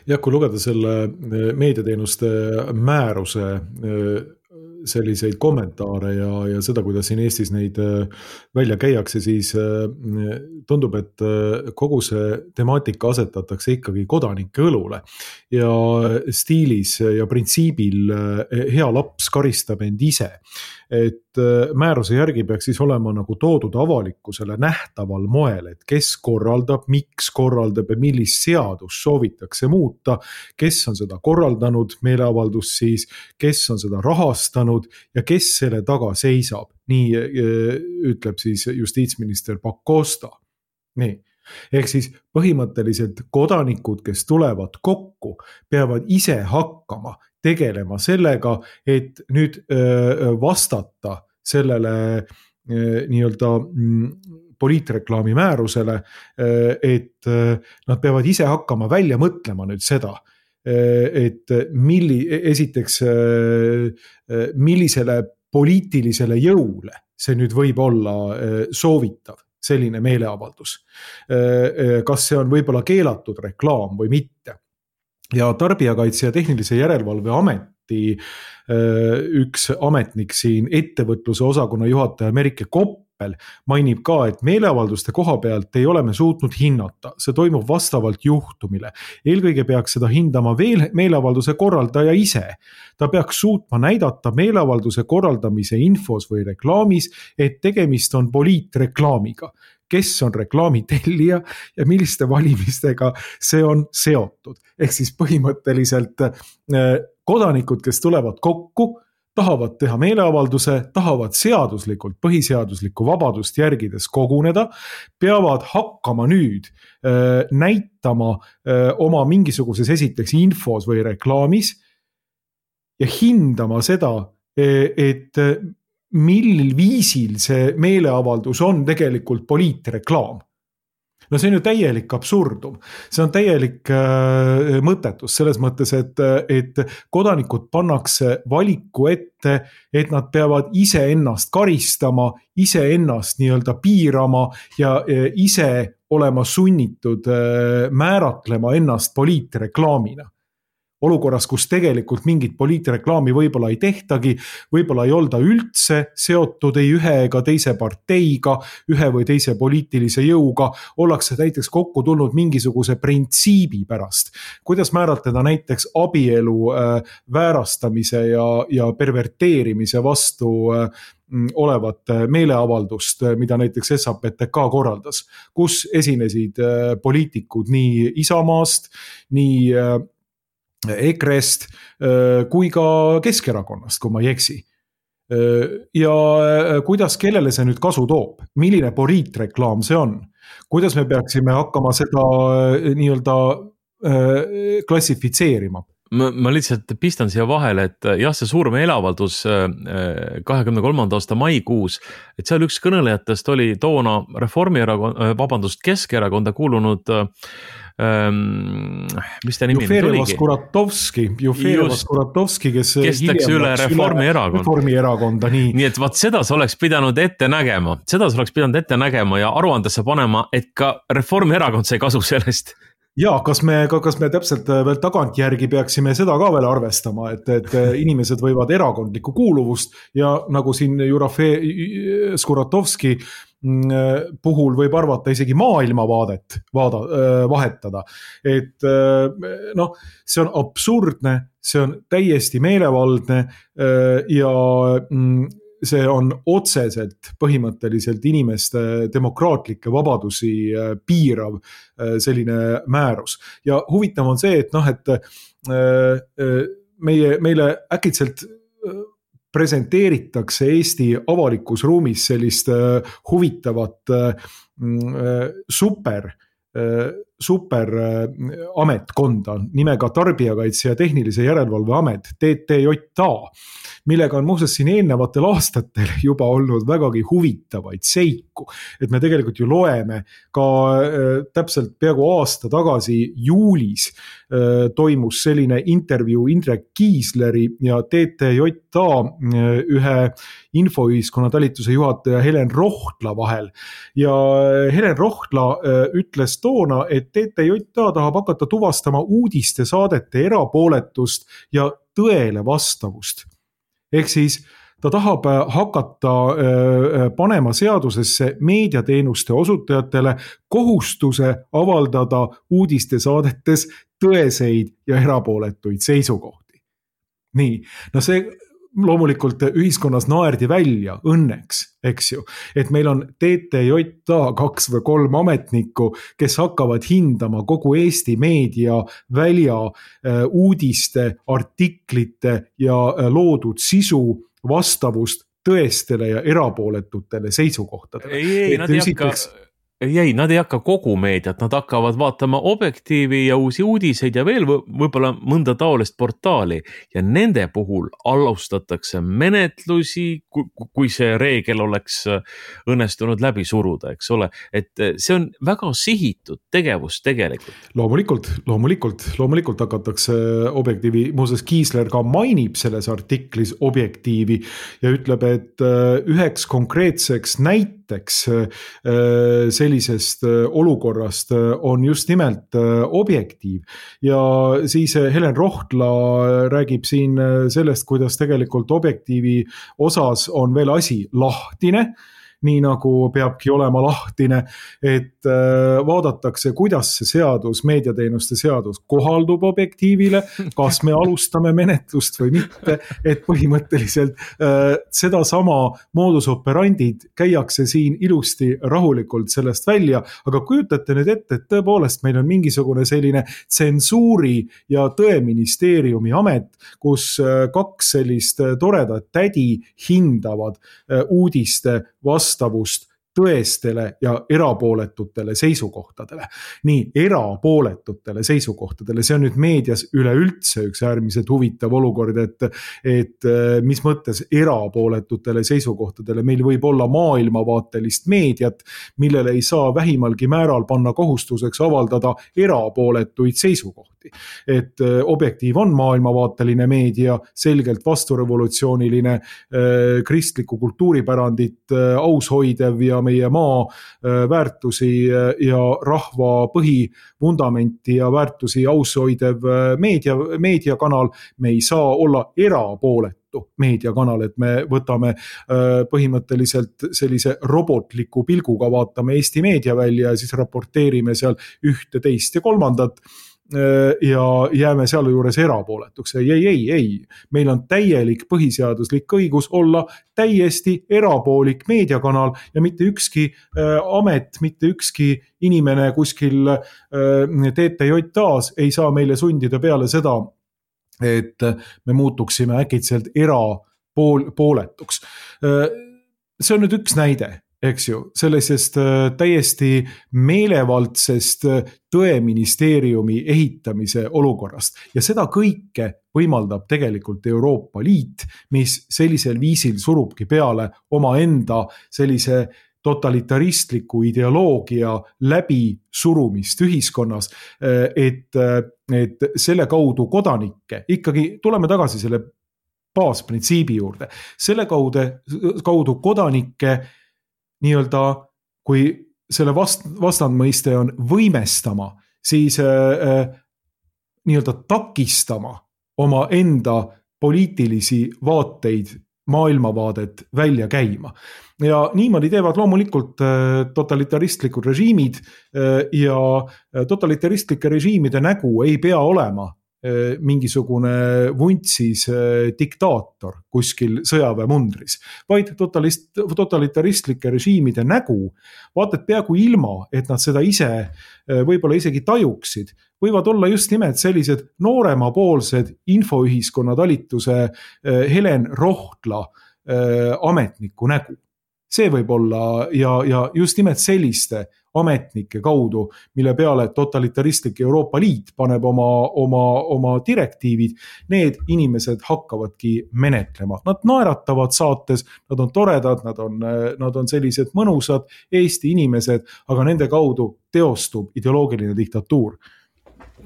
Ja kui lugeda selle meediateenuste määruse äh, selliseid kommentaare ja, ja seda, kuidas siin Eestis neid välja käiakse, siis tundub, et kogu see temaatika asetatakse ikkagi kodanike õlule ja stiilis ja printsiibil hea laps karistab end ise. Et määruse järgi peaks siis olema nagu toodud avalikkusele nähtaval moel, et kes korraldab, miks korraldab ja millist seadust soovitakse muuta, kes on seda korraldanud meeleavaldust siis, kes on seda rahastanud ja kes selle taga seisab. Nii ütleb siis justiitsminister Pakosta. Nii. Ehk siis põhimõtteliselt kodanikud, kes tulevad kokku, peavad ise hakkama tegelema sellega, et nüüd vastata sellele nii-öelda poliitreklaami määrusele, et nad peavad ise hakkama välja mõtlema nüüd seda, et milli, esiteks millisele poliitilisele jõule see nüüd võib olla soovitav, selline meeleavaldus. Kas see on võib-olla keelatud reklaam või mitte. ja Tarbijakaitse ja Tehnilise Järelevalve Ameti üks ametnik siin, ettevõtluse osakonna juhataja Merike Koppel mainib ka, et meeleavalduste koha pealt ei ole me suutnud hinnata. See toimub vastavalt juhtumile. Eelkõige peaks seda hindama veel meeleavalduse korraldaja ise. Ta peaks suutma näidata meeleavalduse korraldamise infos või reklaamis, et tegemist on poliitreklaamiga. Kes on reklaami tellija ja milliste valimistega see on seotud. Ehk siis põhimõtteliselt kodanikud, kes tulevad kokku, tahavad teha meeleavalduse, tahavad seaduslikult, põhiseaduslikku vabadust järgides koguneda, peavad hakkama nüüd näitama oma mingisuguses esiteks infos või reklaamis ja hindama seda, et millil viisil see meeleavaldus on tegelikult poliitreklaam. No see on ju täielik absurdum. See on täielik äh, mõttetus selles mõttes, et, et kodanikud pannakse valiku ette, et nad peavad ise ennast karistama, ise ennast nii-öelda piirama ja äh, ise olema sunnitud äh, määratlema ennast poliitreklaamina. Olukorras, kus tegelikult mingit poliitreklaami võib-olla ei tehtagi, võib-olla ei olda üldse seotud ei ühe ega teise parteiga, ühe või teise poliitilise jõuga, ollakse näiteks kokku tulnud mingisuguse printsiibi pärast. Kuidas määratleda näiteks abielu äh, väärastamise ja, ja perverteerimise vastu äh, olevat meeleavaldust, mida näiteks S A P T K korraldas, kus esinesid äh, poliitikud nii Isamaast, nii äh, E K R E-st kui ka Keskerakonnast, kui ma ei eksi. Ja kuidas, kellele see nüüd kasu toob? Milline poliitreklaam see on? Kuidas me peaksime hakkama seda nii-öelda klassifitseerima? Ma, ma lihtsalt pistan siia vahele, et jah, see suur meeleavaldus kahekümne kolmanda aasta maikuus, et seal üks kõnelejatest oli toona Reformierakond, vabandust, Keskerakonda kuulunud Um, mis ta nimi Juferevas Kuratovski, Juferevas Kuratovski, kes, kes läks üle Reformierakond. Reformierakonda, nii. Nii et vaat seda sa oleks pidanud ette nägema, seda sa oleks pidanud ette nägema ja aruandesse panema, et ka Reformierakond sai kasu sellest. Ja, kas me, kas me täpselt veel tagantjärgi peaksime seda ka veel arvestama, et, et inimesed võivad erakondlikku kuuluvust ja nagu siin Jurafe Skuratovski puhul võib arvata isegi maailmavaadet vaada, vahetada. Et noh, see on absurdne, see on täiesti meelevaldne ja see on otseselt põhimõtteliselt inimeste demokraatlikke vabadusi piirav selline määrus. Ja huvitav on see, et noh, et meie, meile äkitselt presenteeritakse Eesti avalikus ruumis sellist huvitavat super, super ametkonda nimega Tarbijakaitse ja Tehnilise Järelevalve Amet, T T J A, millega on muuseas siin eelnevatel aastatel juba olnud vägagi huvitavaid seiku. Et me tegelikult ju loeme ka täpselt peaaegu aasta tagasi juulis toimus selline intervjuu Indrek Kiisleri ja T T J A ühe infoühiskonna talituse juhataja Helen Rohtla vahel. Ja Helen Rohtla ütles toona, et T T J A tahab hakata tuvastama uudiste saadete erapooletust ja tõele vastavust. Ehk siis ta tahab hakata panema seadusesse meediateenuste osutajatele kohustuse avaldada uudiste saadetes tõeseid ja erapooletuid seisukohti. Nii, no see loomulikult ühiskonnas naerdi välja õnneks, eks ju, et meil on T T J A kaks või kolm ametnikku, kes hakkavad hindama kogu Eesti meedia välja uudiste, artiklite ja loodud sisu vastavust tõestele ja erapooletutele seisukohtadele. Ei, ei, nad ei hakka... Ei, nad ei hakka kogu meediat, nad hakkavad vaatama Objektiivi ja uusi uudiseid ja veel võib-olla mõnda taolist portaali ja nende puhul alustatakse menetlusi, kui see reegel oleks õnnestunud läbi suruda, eks ole, et see on väga sihitud tegevus tegelikult. Loomulikult, loomulikult, loomulikult hakatakse Objektiivi, muuseas Kiisler ka mainib selles artiklis Objektiivi ja ütleb, et üheks konkreetseks näiteks näiteks sellisest olukorrast on just nimelt Objektiiv. Ja siis Helen Rohtla räägib siin sellest, kuidas tegelikult Objektiivi osas on veel asi lahtine, nii nagu peabki olema lahtine, et vaadatakse, kuidas see seadus, meediateenuste seadus kohaldub Objektiivile, kas me alustame menetlust või mitte, et põhimõtteliselt seda sama modus operandid käiakse siin ilusti rahulikult sellest välja, aga kujutate nüüd ette, et tõepoolest meil on mingisugune selline tsensuuri ja tõeministeeriumi amet, kus kaks sellist toredat tädi hindavad uudiste vastavust tõestele ja erapooletutele seisukohtadele. Nii, erapooletutele seisukohtadele, see on nüüd meedias üleüldse üks äärmiselt huvitav olukord, et, et mis mõttes erapooletutele seisukohtadele, meil võib olla maailmavaatelist meediat, millele ei saa vähimalgi määral panna kohustuseks avaldada erapooletuid seisukohti. Et Objektiiv on maailmavaateline meedia, selgelt vasturevolutsiooniline, kristliku kultuuripärandit aushoidev ja meie maa väärtusi ja rahva põhivundamenti ja väärtusi aushoidev meedia, meediakanal. Me ei saa olla erapooletu meediakanal, et me võtame põhimõtteliselt sellise robotliku pilguga, vaatame Eesti meedia välja ja siis raporteerime seal ühte, teist ja kolmandat ja jääme seal juures erapooletuks. Ei, ei, ei, ei. Meil on täielik põhiseaduslik õigus olla täiesti erapoolik meediakanal ja mitte ükski amet, mitte ükski inimene kuskil T T J A-s ei saa meile sundida peale seda, et me muutuksime äkitselt erapooletuks. See on nüüd üks näide. Eks ju, sellisest täiesti meelevaldsest tõeministeeriumi ehitamise olukorrast. Ja seda kõike võimaldab tegelikult Euroopa Liit, mis sellisel viisil surubki peale oma enda sellise totalitaristliku ideoloogia läbi surumist ühiskonnas, et, et selle kaudu kodanikke, ikkagi tuleme tagasi selle baasprintsiibi juurde, selle kaudu, kaudu kodanikke nii-öelda, kui selle vast, vastandmõiste on võimestama, siis äh, nii-öelda takistama oma enda poliitilisi vaateid, maailmavaadet välja käima. Ja niimoodi teevad loomulikult äh, totalitaristlikud režiimid äh, ja totalitaristlike režiimide nägu ei pea olema mingisugune vuntsis diktaator kuskil sõjaväemundris, vaid totalist, totalitaristlike režiimide nägu, vaatad peaaegu ilma, et nad seda ise võib-olla isegi tajuksid, võivad olla just nimelt sellised nooremapoolsed infoühiskonna talituse Helen Rohtla ametniku nägu. See võib olla ja, ja just nimelt selliste ametnike kaudu, mille peale totalitaristlik Euroopa Liit paneb oma, oma, oma direktiivid, need inimesed hakkavadki menetlema. Nad naeratavad saates, nad on toredad, nad on, nad on sellised mõnusad Eesti inimesed, aga nende kaudu teostub ideoloogiline diktatuur.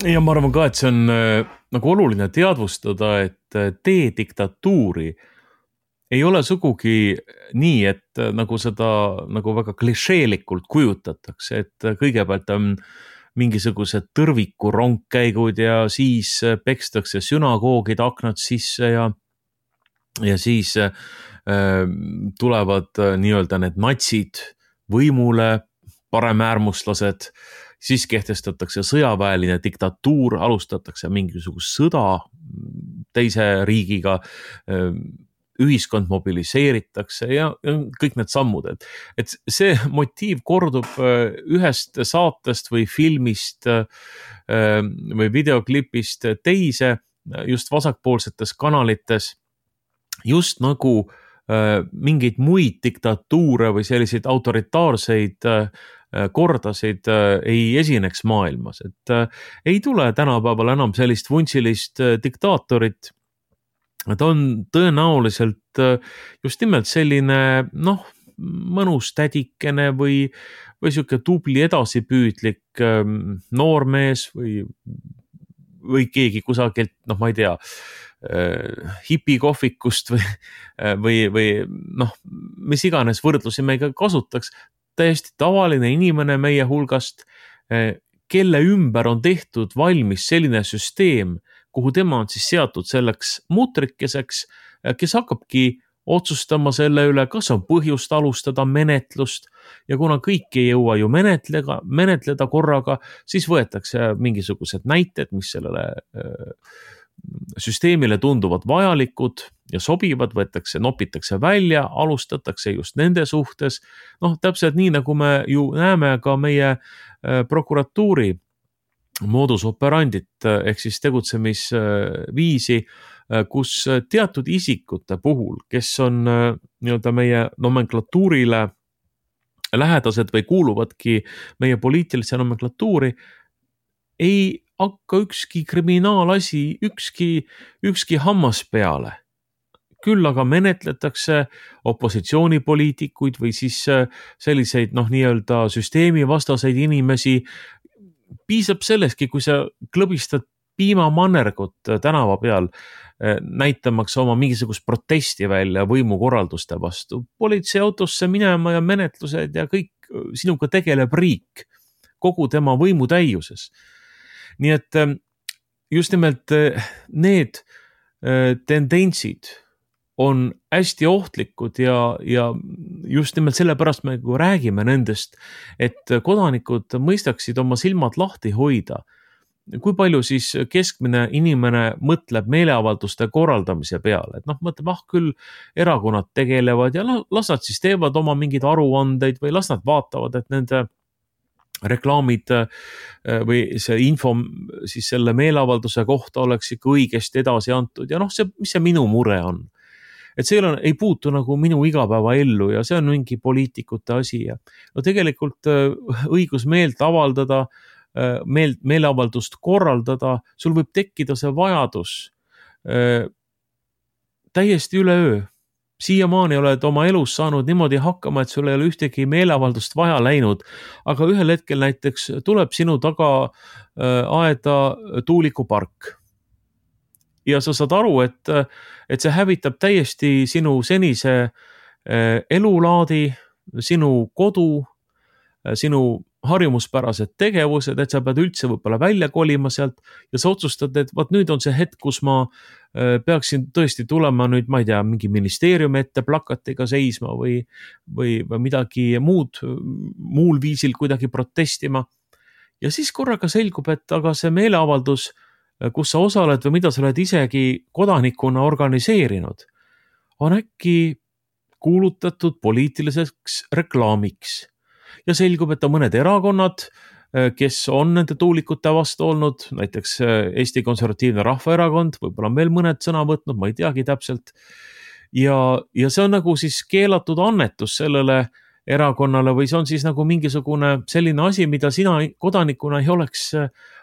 Ja ma arvan ka, et see on nagu oluline teadvustada, et tee diktatuuri ei ole sugugi nii, et nagu seda nagu väga klišeelikult kujutatakse, et kõigepealt on mingisugused tõrviku rongkäigud ja siis pekstakse sünagoogid aknad sisse ja, ja siis äh, tulevad nii-öelda need natsid võimule, paremäärmuslased, siis kehtestatakse sõjaväeline diktatuur, alustatakse mingisugust sõda teise riigiga, äh, ühiskond mobiliseeritakse ja kõik need sammud, et, et see motiiv kordub ühest saatest või filmist või videoklipist teise just vasakpoolsetes kanalites, just nagu mingeid muid diktatuure või selliseid autoritaarseid kordasid ei esineks maailmas, et ei tule tänapäeval enam sellist vuntsilist diktaatorit. Ta on tõenäoliselt just nimelt selline, noh, mõnus tädikene või, või siuke tubli edasipüüdlik noormees või või keegi kusagilt, noh, ma ei tea, hipikohvikust või, või, või noh, mis iganes võrdlusi me ka kasutaks, täiesti tavaline inimene meie hulgast, kelle ümber on tehtud valmis selline süsteem, kuhu tema on siis seatud selleks mutrikeseks, kes hakkabki otsustama selle üle, kas on põhjust alustada menetlust ja kuna kõik ei jõua ju menetleda, menetleda korraga, siis võetakse mingisugused näited, mis sellele süsteemile tunduvad vajalikud ja sobivad, võetakse, nopitakse välja, alustatakse just nende suhtes. Noh, täpselt nii, nagu me ju näeme ka meie prokuratuuri modus operandit ehk siis tegutsemisviisi, kus teatud isikute puhul, kes on nii-öelda meie nomenklatuurile lähedased või kuuluvadki meie poliitilise nomenklatuuri, ei hakka ükski kriminaalasi, ükski, ükski hammas peale. Küll aga menetletakse opositsioonipoliitikuid või siis selliseid, noh, nii-öelda süsteemivastaseid inimesi. Piisab selleski, kui sa klõbistad piimamannergut tänava peal, näitamaks oma mingisugust protesti välja võimukorralduste vastu. Politseiautosse minema ja menetlused ja kõik sinuga tegeleb riik kogu tema võimu täiuses. Nii et just nimelt need tendentsid on hästi ohtlikud ja, ja just nimelt sellepärast me räägime nendest, et kodanikud mõistaksid oma silmad lahti hoida. Kui palju siis keskmine inimene mõtleb meeleavalduste korraldamise peale, et noh, mõtleb, ah küll erakonnad tegelevad ja las nad siis teevad oma mingeid aruandeid või las nad vaatavad, et nende reklaamid või see info siis selle meeleavalduse kohta oleks ikka õigesti edasi antud ja noh, see, mis see minu mure on. Et see ei, ole, ei puutu nagu minu igapäeva ellu ja see on mingi poliitikute asi ja no tegelikult õigus meelt avaldada, meelt, meeleavaldust korraldada, sul võib tekkida see vajadus täiesti üleöö. Siiamaani oled oma elus saanud niimoodi hakkama, et sul ei ole ühtegi meeleavaldust vaja läinud, aga ühel hetkel näiteks tuleb sinu taga aeda tuulikupark. Ja sa saad aru, et, et see hävitab täiesti sinu senise elulaadi, sinu kodu, sinu harjumuspärased tegevused, et sa pead üldse võib-olla välja kolima sealt ja sa otsustad, et vaat nüüd on see hetk, kus ma peaksin tõesti tulema nüüd, ma ei tea, mingi ministeeriumi ette plakatiga seisma või, või, või midagi muud, muul viisil kuidagi protestima. Ja siis korraga selgub, et aga see meeleavaldus, kus sa osaled või mida sa oled isegi kodanikuna organiseerinud, on äkki kuulutatud poliitiliseks reklaamiks. Ja selgub, et on mõned erakonnad, kes on nende tuulikute vastu olnud, näiteks Eesti Konservatiivne Rahvaerakond, võib-olla on veel mõned sõna võtnud, ma ei teagi täpselt. Ja, ja see on nagu siis keelatud annetus sellele erakonnale või see on siis nagu mingisugune selline asi, mida sina kodanikuna ei oleks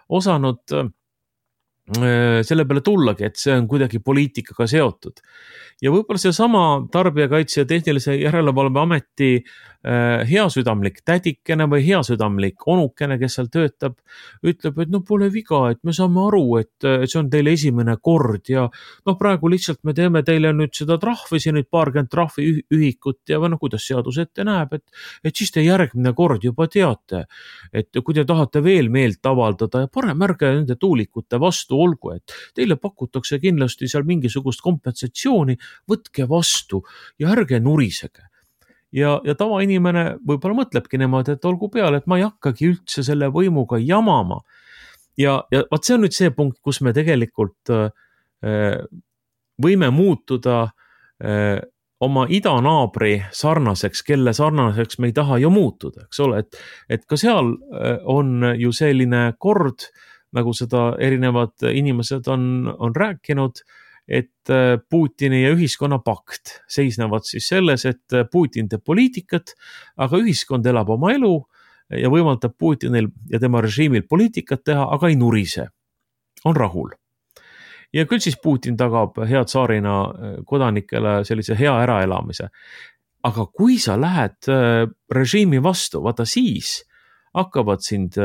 osanud selle peale tullagi, et see on kuidagi poliitikaga seotud. Ja võib-olla see sama Tarbijakaitse ja Tehnilise Järelevalve Ameti heasüdamlik tädikene või heasüdamlik onukene, kes seal töötab, ütleb, et no pole viga, et me saame aru, et see on teile esimene kord ja noh, praegu lihtsalt me teeme teile nüüd seda trahvi, siin nüüd paarkümmend trahvi ühikut ja või noh, kuidas seadus ette näeb, et, et siis te järgmine kord juba teate, et kui te tahate veel meelt avaldada ja parem ärge nende tuulikute vastu olgu, et teile pakutakse kindlasti seal mingisugust kompensatsiooni, võtke vastu ja ärge nurisege. Ja, ja tavainimene võib-olla mõtlebki niimoodi, et olgu peale, et ma ei hakkagi üldse selle võimuga jamama. Ja, ja vaat see on nüüd see punkt, kus me tegelikult äh, võime muutuda äh, oma idanaabri sarnaseks, kelle sarnaseks me ei taha ju muutuda, eks ole, et, et ka seal on ju selline kord, nagu seda erinevad inimesed on, on rääkinud, et Putini ja ühiskonna pakt seisnevad siis selles, et Putin teeb poliitikat, aga ühiskond elab oma elu ja võimaldab Putinil ja tema režiimil poliitikat teha, aga ei nurise, on rahul. Ja küll siis Putin tagab hea tsaarina kodanikele sellise hea äraelamise. Aga kui sa lähed režiimi vastu, vaata siis hakkavad sind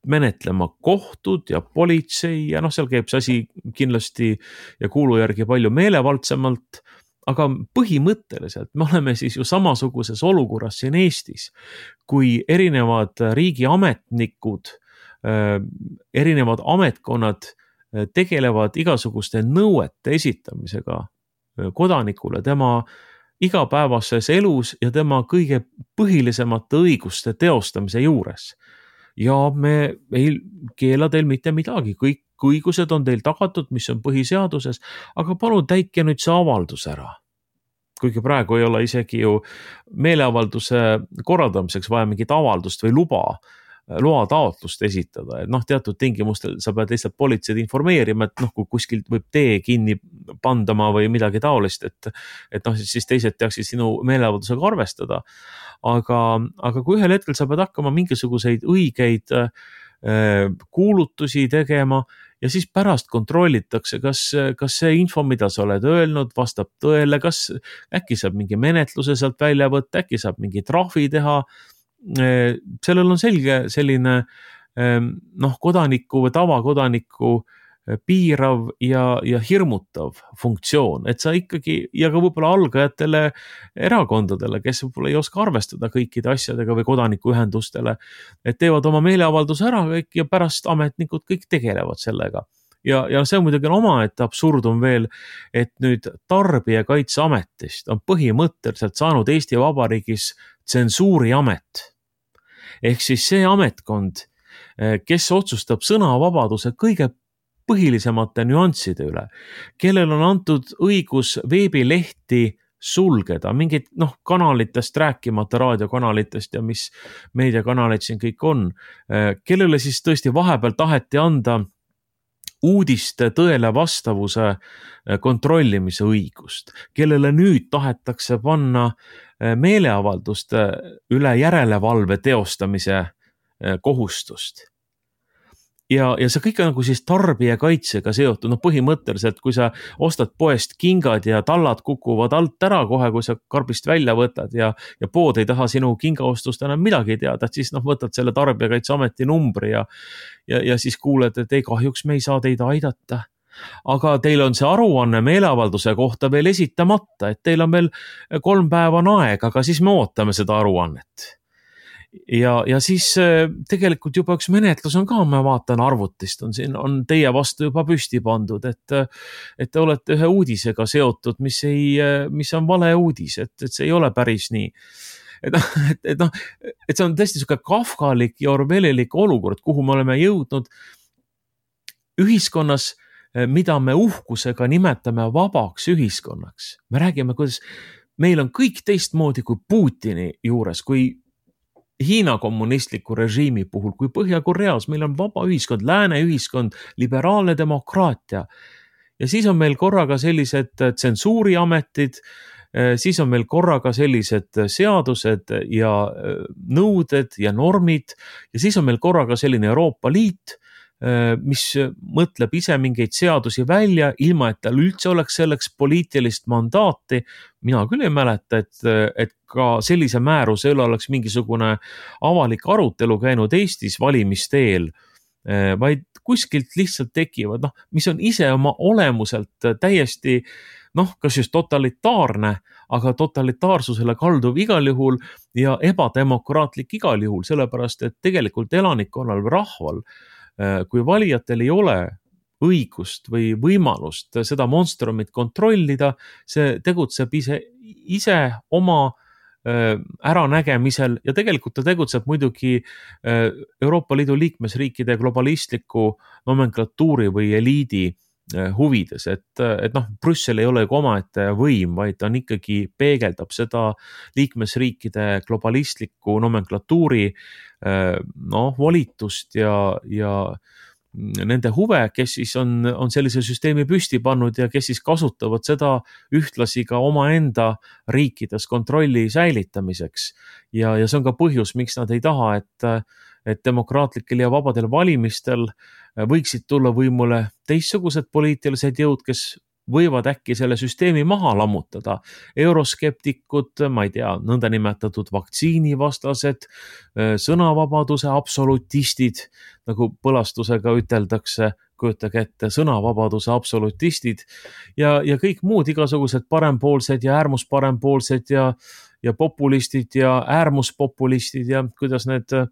menetlema kohtud ja politsei ja noh, seal käib see asi kindlasti ja kuulu järgi palju meelevaldsemalt, aga põhimõtteliselt me oleme siis ju samasuguses olukorras siin Eestis, kui erinevad riigiametnikud, erinevad ametkonnad tegelevad igasuguste nõuete esitamisega kodanikule tema igapäevases elus ja tema kõige põhilisemate õiguste teostamise juures. Ja me ei keela teil mitte midagi, kõik õigused on teil tagatud, mis on põhiseaduses, aga palun täitke nüüd see avaldus ära. Kuigi praegu ei ole isegi ju meeleavalduse korraldamiseks vaja mingit avaldust või luba, loa taotlust esitada, et noh, teatud tingimustel sa pead lihtsalt politseid informeerima, et noh, kui kuskilt võib tee kinni pandama või midagi taolist, et, et noh, siis teised teaksid sinu meeleavaldusega arvestada. Aga, aga kui ühel hetkel sa pead hakkama mingisuguseid õigeid äh, kuulutusi tegema ja siis pärast kontrollitakse, kas, kas see info, mida sa oled öelnud, vastab tõele, kas äkki saab mingi menetluse sealt välja võtta, äkki saab mingi trahvi teha. Sellel on selge selline noh, kodaniku või tavakodaniku piirav ja, ja hirmutav funktsioon, et sa ikkagi ja ka võib-olla algajatele erakondadele, kes võib-olla ei oska arvestada kõikide asjadega või kodanikuühendustele, et teevad oma meeleavalduse ära kõik ja pärast ametnikud kõik tegelevad sellega. Ja, ja see on muidugi omaette absurdum veel, et nüüd Tarbijakaitseametist on põhimõtteliselt saanud Eesti Vabariigis tsensuuriamet. Ehk siis see ametkond, kes otsustab sõnavabaduse kõige põhilisemate nüansside üle, kellel on antud õigus veebilehti sulgeda, mingid noh, kanalitest rääkimata raadiokanalitest ja mis meediakanalid siin kõik on, kellele siis tõesti vahepeal taheti anda uudiste tõele vastavuse kontrollimise õigust, kellele nüüd tahetakse panna meeleavalduste üle järelevalve teostamise kohustust. Ja, ja see kõik on nagu siis tarbijakaitsega seotud, noh põhimõtteliselt, kui sa ostad poest kingad ja tallad kukuvad alt ära kohe, kui sa karbist välja võtad ja, ja pood ei taha sinu kingaostust enam midagi teada, et siis noh, võtad selle Tarbijakaitseameti numbri ja, ja, ja siis kuuled, et ei kahjuks me ei saa teid aidata. Aga teil on see aruanne meeleavalduse kohta veel esitamata, et teil on veel kolm päeva on aeg, aga siis me ootame seda aruannet. Ja, ja siis tegelikult juba üks menetlus on ka, ma vaatan arvutist, on siin on teie vastu juba püsti pandud, et, et te olete ühe uudisega seotud, mis, ei, mis on vale uudis, et, et see ei ole päris nii. Et, et, et, no, et see on tõesti selline kafkalik ja orwellilik olukord, kuhu me oleme jõudnud ühiskonnas, mida me uhkusega nimetame vabaks ühiskonnaks. Me räägime, kuidas meil on kõik teistmoodi kui Putini juures, kui Hiina kommunistliku režiimi puhul, kui Põhja-Koreas meil on vaba ühiskond, lääne ühiskond, liberaalne demokraatia. Ja siis on meil korraga sellised tsensuuriametid, siis on meil korraga sellised seadused ja nõuded ja normid ja siis on meil korraga selline Euroopa Liit, mis mõtleb ise mingeid seadusi välja, ilma et tal üldse oleks selleks poliitilist mandaati. Mina küll ei mäleta, et, et ka sellise määruse üle oleks mingisugune avalik arutelu käinud Eestis valimisteel, vaid kuskilt lihtsalt tekivad, noh, mis on ise oma olemuselt täiesti, noh, kas just totalitaarne, aga totalitaarsusele kalduv igal juhul ja ebademokraatlik igal juhul, sellepärast, et tegelikult elanikkonnal või rahval, kui valijatel ei ole õigust või võimalust seda monstrumit kontrollida, see tegutseb ise, ise oma äranägemisel ja tegelikult ta tegutseb muidugi Euroopa Liidu liikmesriikide globalistliku nomenklatuuri või eliidi huvides, et, et noh, Brüssel ei ole omaette võim, vaid ta on ikkagi peegeldab seda liikmesriikide globalistliku nomenklatuuri noh, volitust ja, ja nende huve, kes siis on, on sellise süsteemi püsti pannud ja kes siis kasutavad seda ühtlasi ka omaenda riikides kontrolli säilitamiseks. Ja, ja see on ka põhjus, miks nad ei taha, et, et demokraatlikel ja vabadel valimistel võiksid tulla võimule teistsugused poliitilised jõud, kes võivad äkki selle süsteemi maha lammutada. Euroskeptikud, ma ei tea, nõndanimetatud vaktsiinivastased, sõnavabaduse absolutistid, nagu põlastusega üteldakse, kujutage ette, sõnavabaduse absolutistid ja, ja kõik muud igasugused parempoolsed ja äärmusparempoolsed ja, ja populistid ja äärmuspopulistid ja kuidas need äh,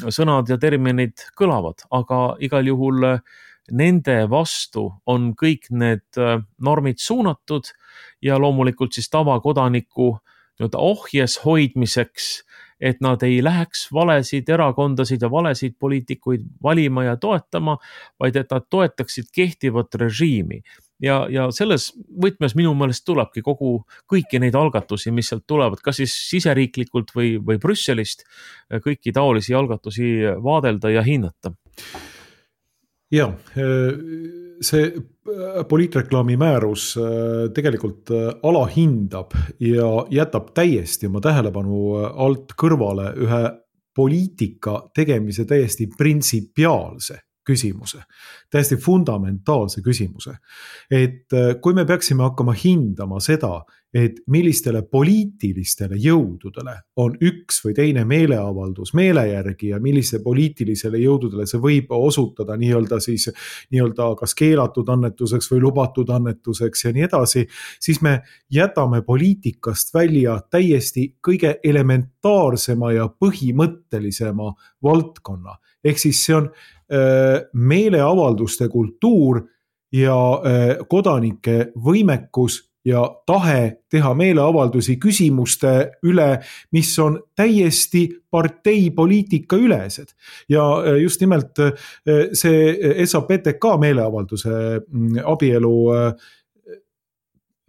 sõnad ja terminid kõlavad, aga igal juhul nende vastu on kõik need normid suunatud ja loomulikult siis tavakodaniku ohjes hoidmiseks, et nad ei läheks valesid erakondasid ja valesid poliitikuid valima ja toetama, vaid et nad toetaksid kehtivat režiimi. Ja, ja selles võtmes minu meelest tulebki kogu kõiki neid algatusi, mis sealt tulevad, kas siis siseriiklikult või, või Brüsselist, kõiki taolisi algatusi vaadelda ja hinnata. Ja, see poliitreklaami määrus tegelikult alahindab ja jätab täiesti oma tähelepanu alt kõrvale ühe poliitika tegemise täiesti printsipiaalse küsimuse, täiesti fundamentaalse küsimuse. Et kui me peaksime hakkama hindama seda, et millistele poliitilistele jõududele on üks või teine meeleavaldus meele järgi ja millise poliitilisele jõududele see võib osutada nii-öelda siis nii-öelda kas keelatud annetuseks või lubatud annetuseks ja nii edasi, siis me jätame poliitikast välja täiesti kõige elementaarsema ja põhimõttelisema valdkonna. Ehk siis see on äh, meeleavalduste kultuur ja äh, kodanike võimekus ja tahe teha meeleavaldusi küsimuste üle, mis on täiesti parteipoliitika ülesed. Ja just nimelt see S A P T K meeleavalduse abielu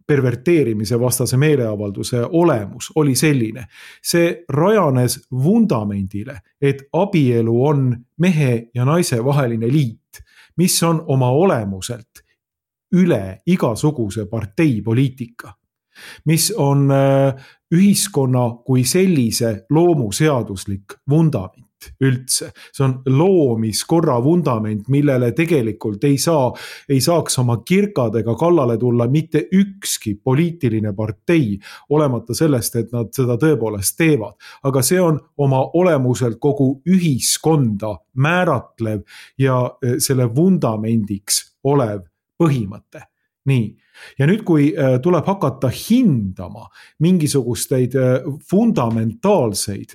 perverteerimise vastase meeleavalduse olemus oli selline. See rajanes vundamendile, et abielu on mehe ja naise vaheline liit, mis on oma olemuselt üle igasuguse parteipoliitika, mis on ühiskonna kui sellise loomuseaduslik vundament üldse. See on loomiskorra vundament, millele tegelikult ei saa, ei saaks oma kirkadega kallale tulla mitte ükski poliitiline partei, olemata sellest, et nad seda tõepoolest teevad. Aga see on oma olemuselt kogu ühiskonda määratlev ja selle vundamendiks olev põhimõte. Nii. Ja nüüd, kui tuleb hakata hindama mingisugusteid fundamentaalseid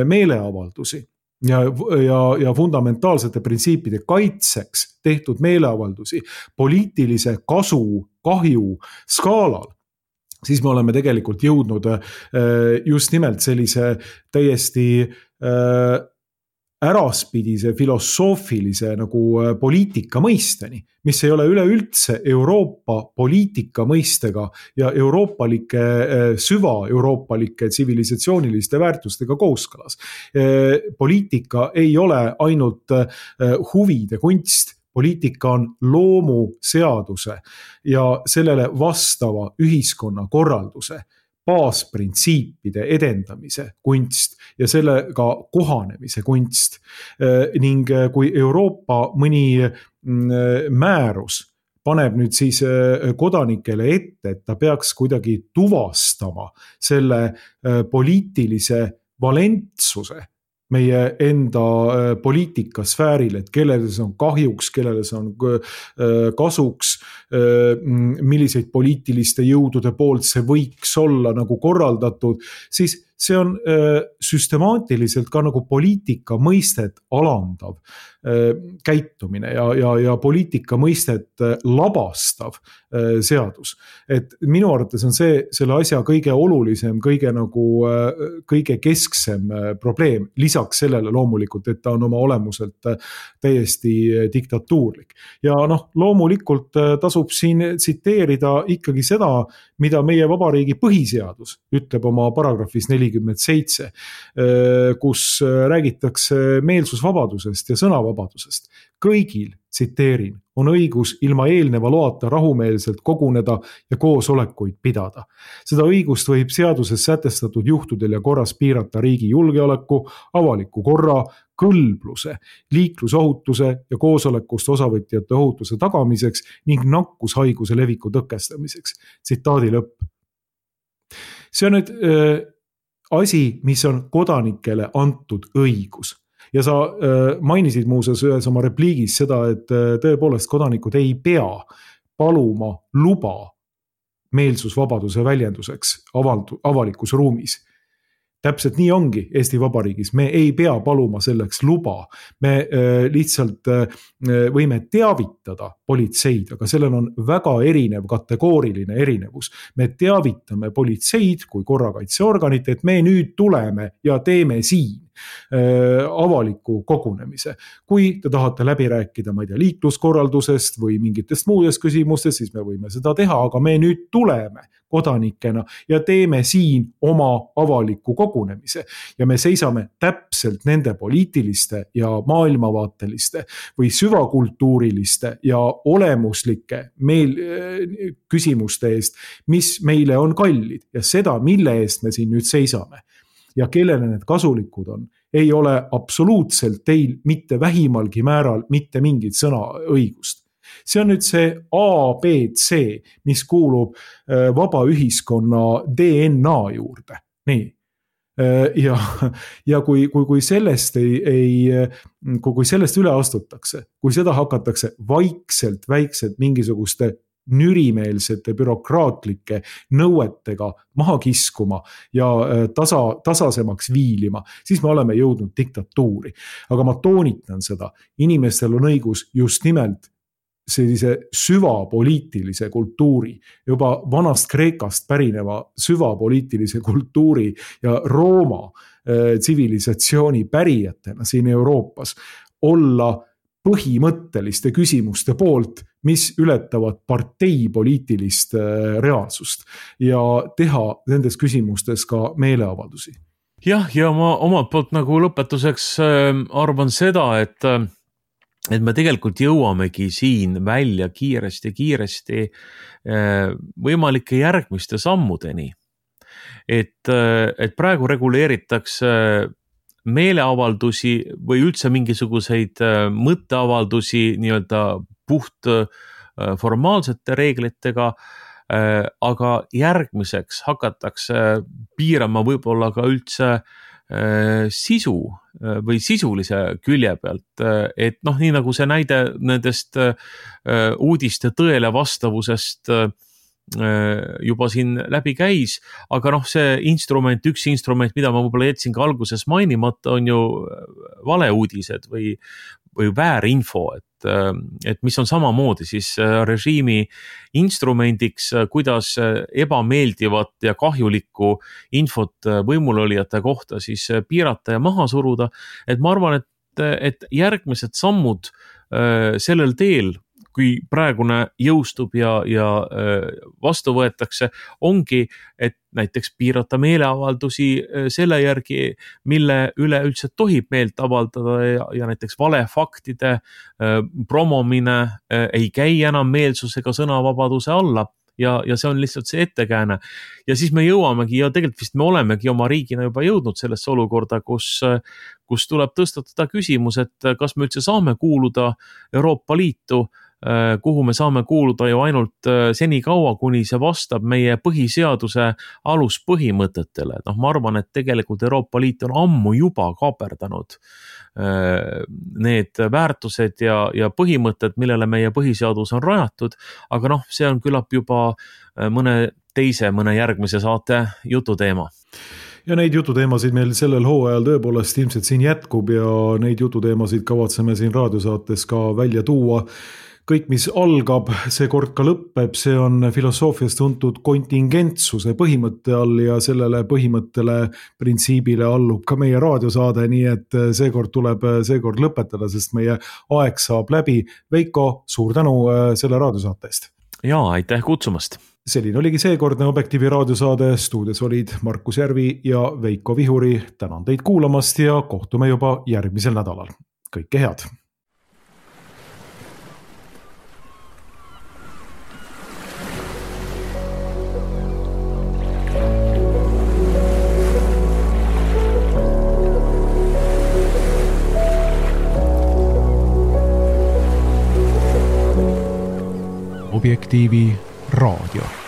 meeleavaldusi ja, ja, ja fundamentaalsete printsiipide kaitseks tehtud meeleavaldusi poliitilise kasu, kahju skaalal, siis me oleme tegelikult jõudnud just nimelt sellise täiesti äraspidise filosoofilise nagu poliitika mõisteni, mis ei ole üleüldse Euroopa poliitika mõistega ja euroopalike, süva-euroopalike tsivilisatsiooniliste väärtustega kooskõlas. Poliitika ei ole ainult huvide kunst, poliitika on loomuseaduse ja sellele vastava ühiskonna korralduse baasprintsiipide edendamise kunst ja sellega kohanemise kunst. Ning kui Euroopa mõni määrus paneb nüüd siis kodanikele ette, et ta peaks kuidagi tuvastama selle poliitilise valentsuse meie enda poliitikasfääril, et kellele see on kahjuks, kellele see on kasuks, milliseid poliitiliste jõudude poolt see võiks olla nagu korraldatud, siis see on süstemaatiliselt ka nagu poliitika mõistet alandav käitumine ja, ja, ja poliitika mõistet labastav seadus. Et minu arvates on see selle asja kõige olulisem, kõige nagu kõige kesksem probleem, lisaks sellele loomulikult, et ta on oma olemuselt täiesti diktatuurlik. Ja noh, loomulikult tasub siin tsiteerida ikkagi seda, mida meie vabariigi põhiseadus ütleb oma paragrahvis nelikümmend seitse, kus räägitakse meelsusvabadusest ja sõnavabadusest. Kõigil, tsiteerin, on õigus ilma eelneva loata rahumeelselt koguneda ja koosolekuid pidada. Seda õigust võib seaduses sätestatud juhtudel ja korras piirata riigi julgeoleku, avaliku korra, kõlbluse, liiklusohutuse ja koosolekust osavõtjate ohutuse tagamiseks ning nakkushaiguse leviku tõkestamiseks. Tsitaadi lõpp. See on nüüd äh, asi, mis on kodanikele antud õigus. Ja sa äh, mainisid muuseas ühes oma repliigis seda, et äh, tõepoolest kodanikud ei pea paluma luba meelsusvabaduse väljenduseks avaldu, avalikus ruumis. Täpselt nii ongi Eesti Vabariigis, me ei pea paluma selleks luba, me äh, lihtsalt äh, võime teavitada politseid, aga sellel on väga erinev kategooriline erinevus. Me teavitame politseid kui korrakaitseorganit, et me nüüd tuleme ja teeme siin äh, avaliku kogunemise. Kui te tahate läbi rääkida, ma ei tea, liikluskorraldusest või mingitest muudest küsimustest, siis me võime seda teha, aga me nüüd tuleme kodanikena ja teeme siin oma avaliku kogunemise. Ja me seisame täpselt nende poliitiliste ja maailmavaateliste või süvakultuuriliste ja olemuslike meil küsimuste eest, mis meile on kallid ja seda, mille eest me siin nüüd seisame ja kellele need kasulikud on, ei ole absoluutselt teil mitte vähimalgi määral mitte mingit sõnaõigust. See on nüüd see A B C, mis kuulub vaba ühiskonna D N A juurde. Nii. Ja, ja kui, kui, kui sellest ei, ei, kui sellest üle astutakse, kui seda hakatakse vaikselt, väikselt mingisuguste nürimeelsete bürokraatlike nõuetega maha kiskuma ja tasa, tasasemaks viilima, siis me oleme jõudnud diktatuuri. Aga ma toonitan seda, inimestel on õigus just nimelt sellise süvapoliitilise kultuuri, juba vanast Kreekast pärineva süvapoliitilise kultuuri ja Rooma äh, tsivilisatsiooni pärijatena siin Euroopas olla põhimõtteliste küsimuste poolt, mis ületavad parteipoliitilist äh, reaalsust ja teha nendes küsimustes ka meeleavaldusi. Jah, ja ma omalt poolt nagu lõpetuseks äh, arvan seda, et äh, et me tegelikult jõuamegi siin välja kiiresti, kiiresti võimalike järgmiste sammudeni. Et, et praegu reguleeritakse meeleavaldusi või üldse mingisuguseid mõtteavaldusi nii-öelda puht formaalsete reeglitega, aga järgmiseks hakatakse piirama võib-olla ka üldse sisu või sisulise külje pealt, et noh, nii nagu see näide nendest uudiste tõele vastavusest juba siin läbi käis, aga noh, see instrument, üks instrument, mida ma võib-olla jätsin ka alguses mainimata, on ju valeuudised või, või väärinfo, et, et mis on samamoodi siis režiimi instrumendiks, kuidas ebameeldivat ja kahjulikku infot võimulolijate kohta siis piirata ja maha suruda, et ma arvan, et, et järgmised sammud sellel teel, kui praegune jõustub ja, ja vastu võetakse, ongi, et näiteks piirata meeleavaldusi selle järgi, mille üle üldse tohib meelt avaldada ja, ja näiteks valefaktide promomine ei käi enam meelsus- ega sõnavabaduse alla. Ja, ja see on lihtsalt see ettekääne. Ja siis me jõuamegi ja tegelikult vist me olemegi oma riigina juba jõudnud sellesse olukorda, kus, kus tuleb tõstatada küsimus, et kas me üldse saame kuuluda Euroopa Liitu, kuhu me saame kuuluda ju ainult seni kaua, kuni see vastab meie põhiseaduse aluspõhimõtetele. Noh, ma arvan, et tegelikult Euroopa Liit on ammu juba kaaperdanud need väärtused ja, ja põhimõtted, millele meie põhiseadus on rajatud, aga noh, see on küllap juba mõne teise, mõne järgmise saate jututeema. Ja neid jututeemasid meil sellel hooajal tõepoolest ilmselt siin jätkub ja neid jututeemasid kavatseme siin raadiosaates ka välja tuua. Kõik, mis algab, see kord ka lõpeb, see on filosoofias tuntud kontingentsuse põhimõtte all ja sellele põhimõttele printsiibile allub ka meie raadiosaade, nii et see kord tuleb see kord lõpetada, sest meie aeg saab läbi. Veiko, suur tänu selle raadiosaatest. Ja, aitäh kutsumast. Selline oligi seekordne Objektiivi raadiosaade, stuudios olid Markus Järvi ja Veiko Vihuri. Tänan teid kuulamast ja kohtume juba järgmisel nädalal. Kõike head! Objektiivi raadio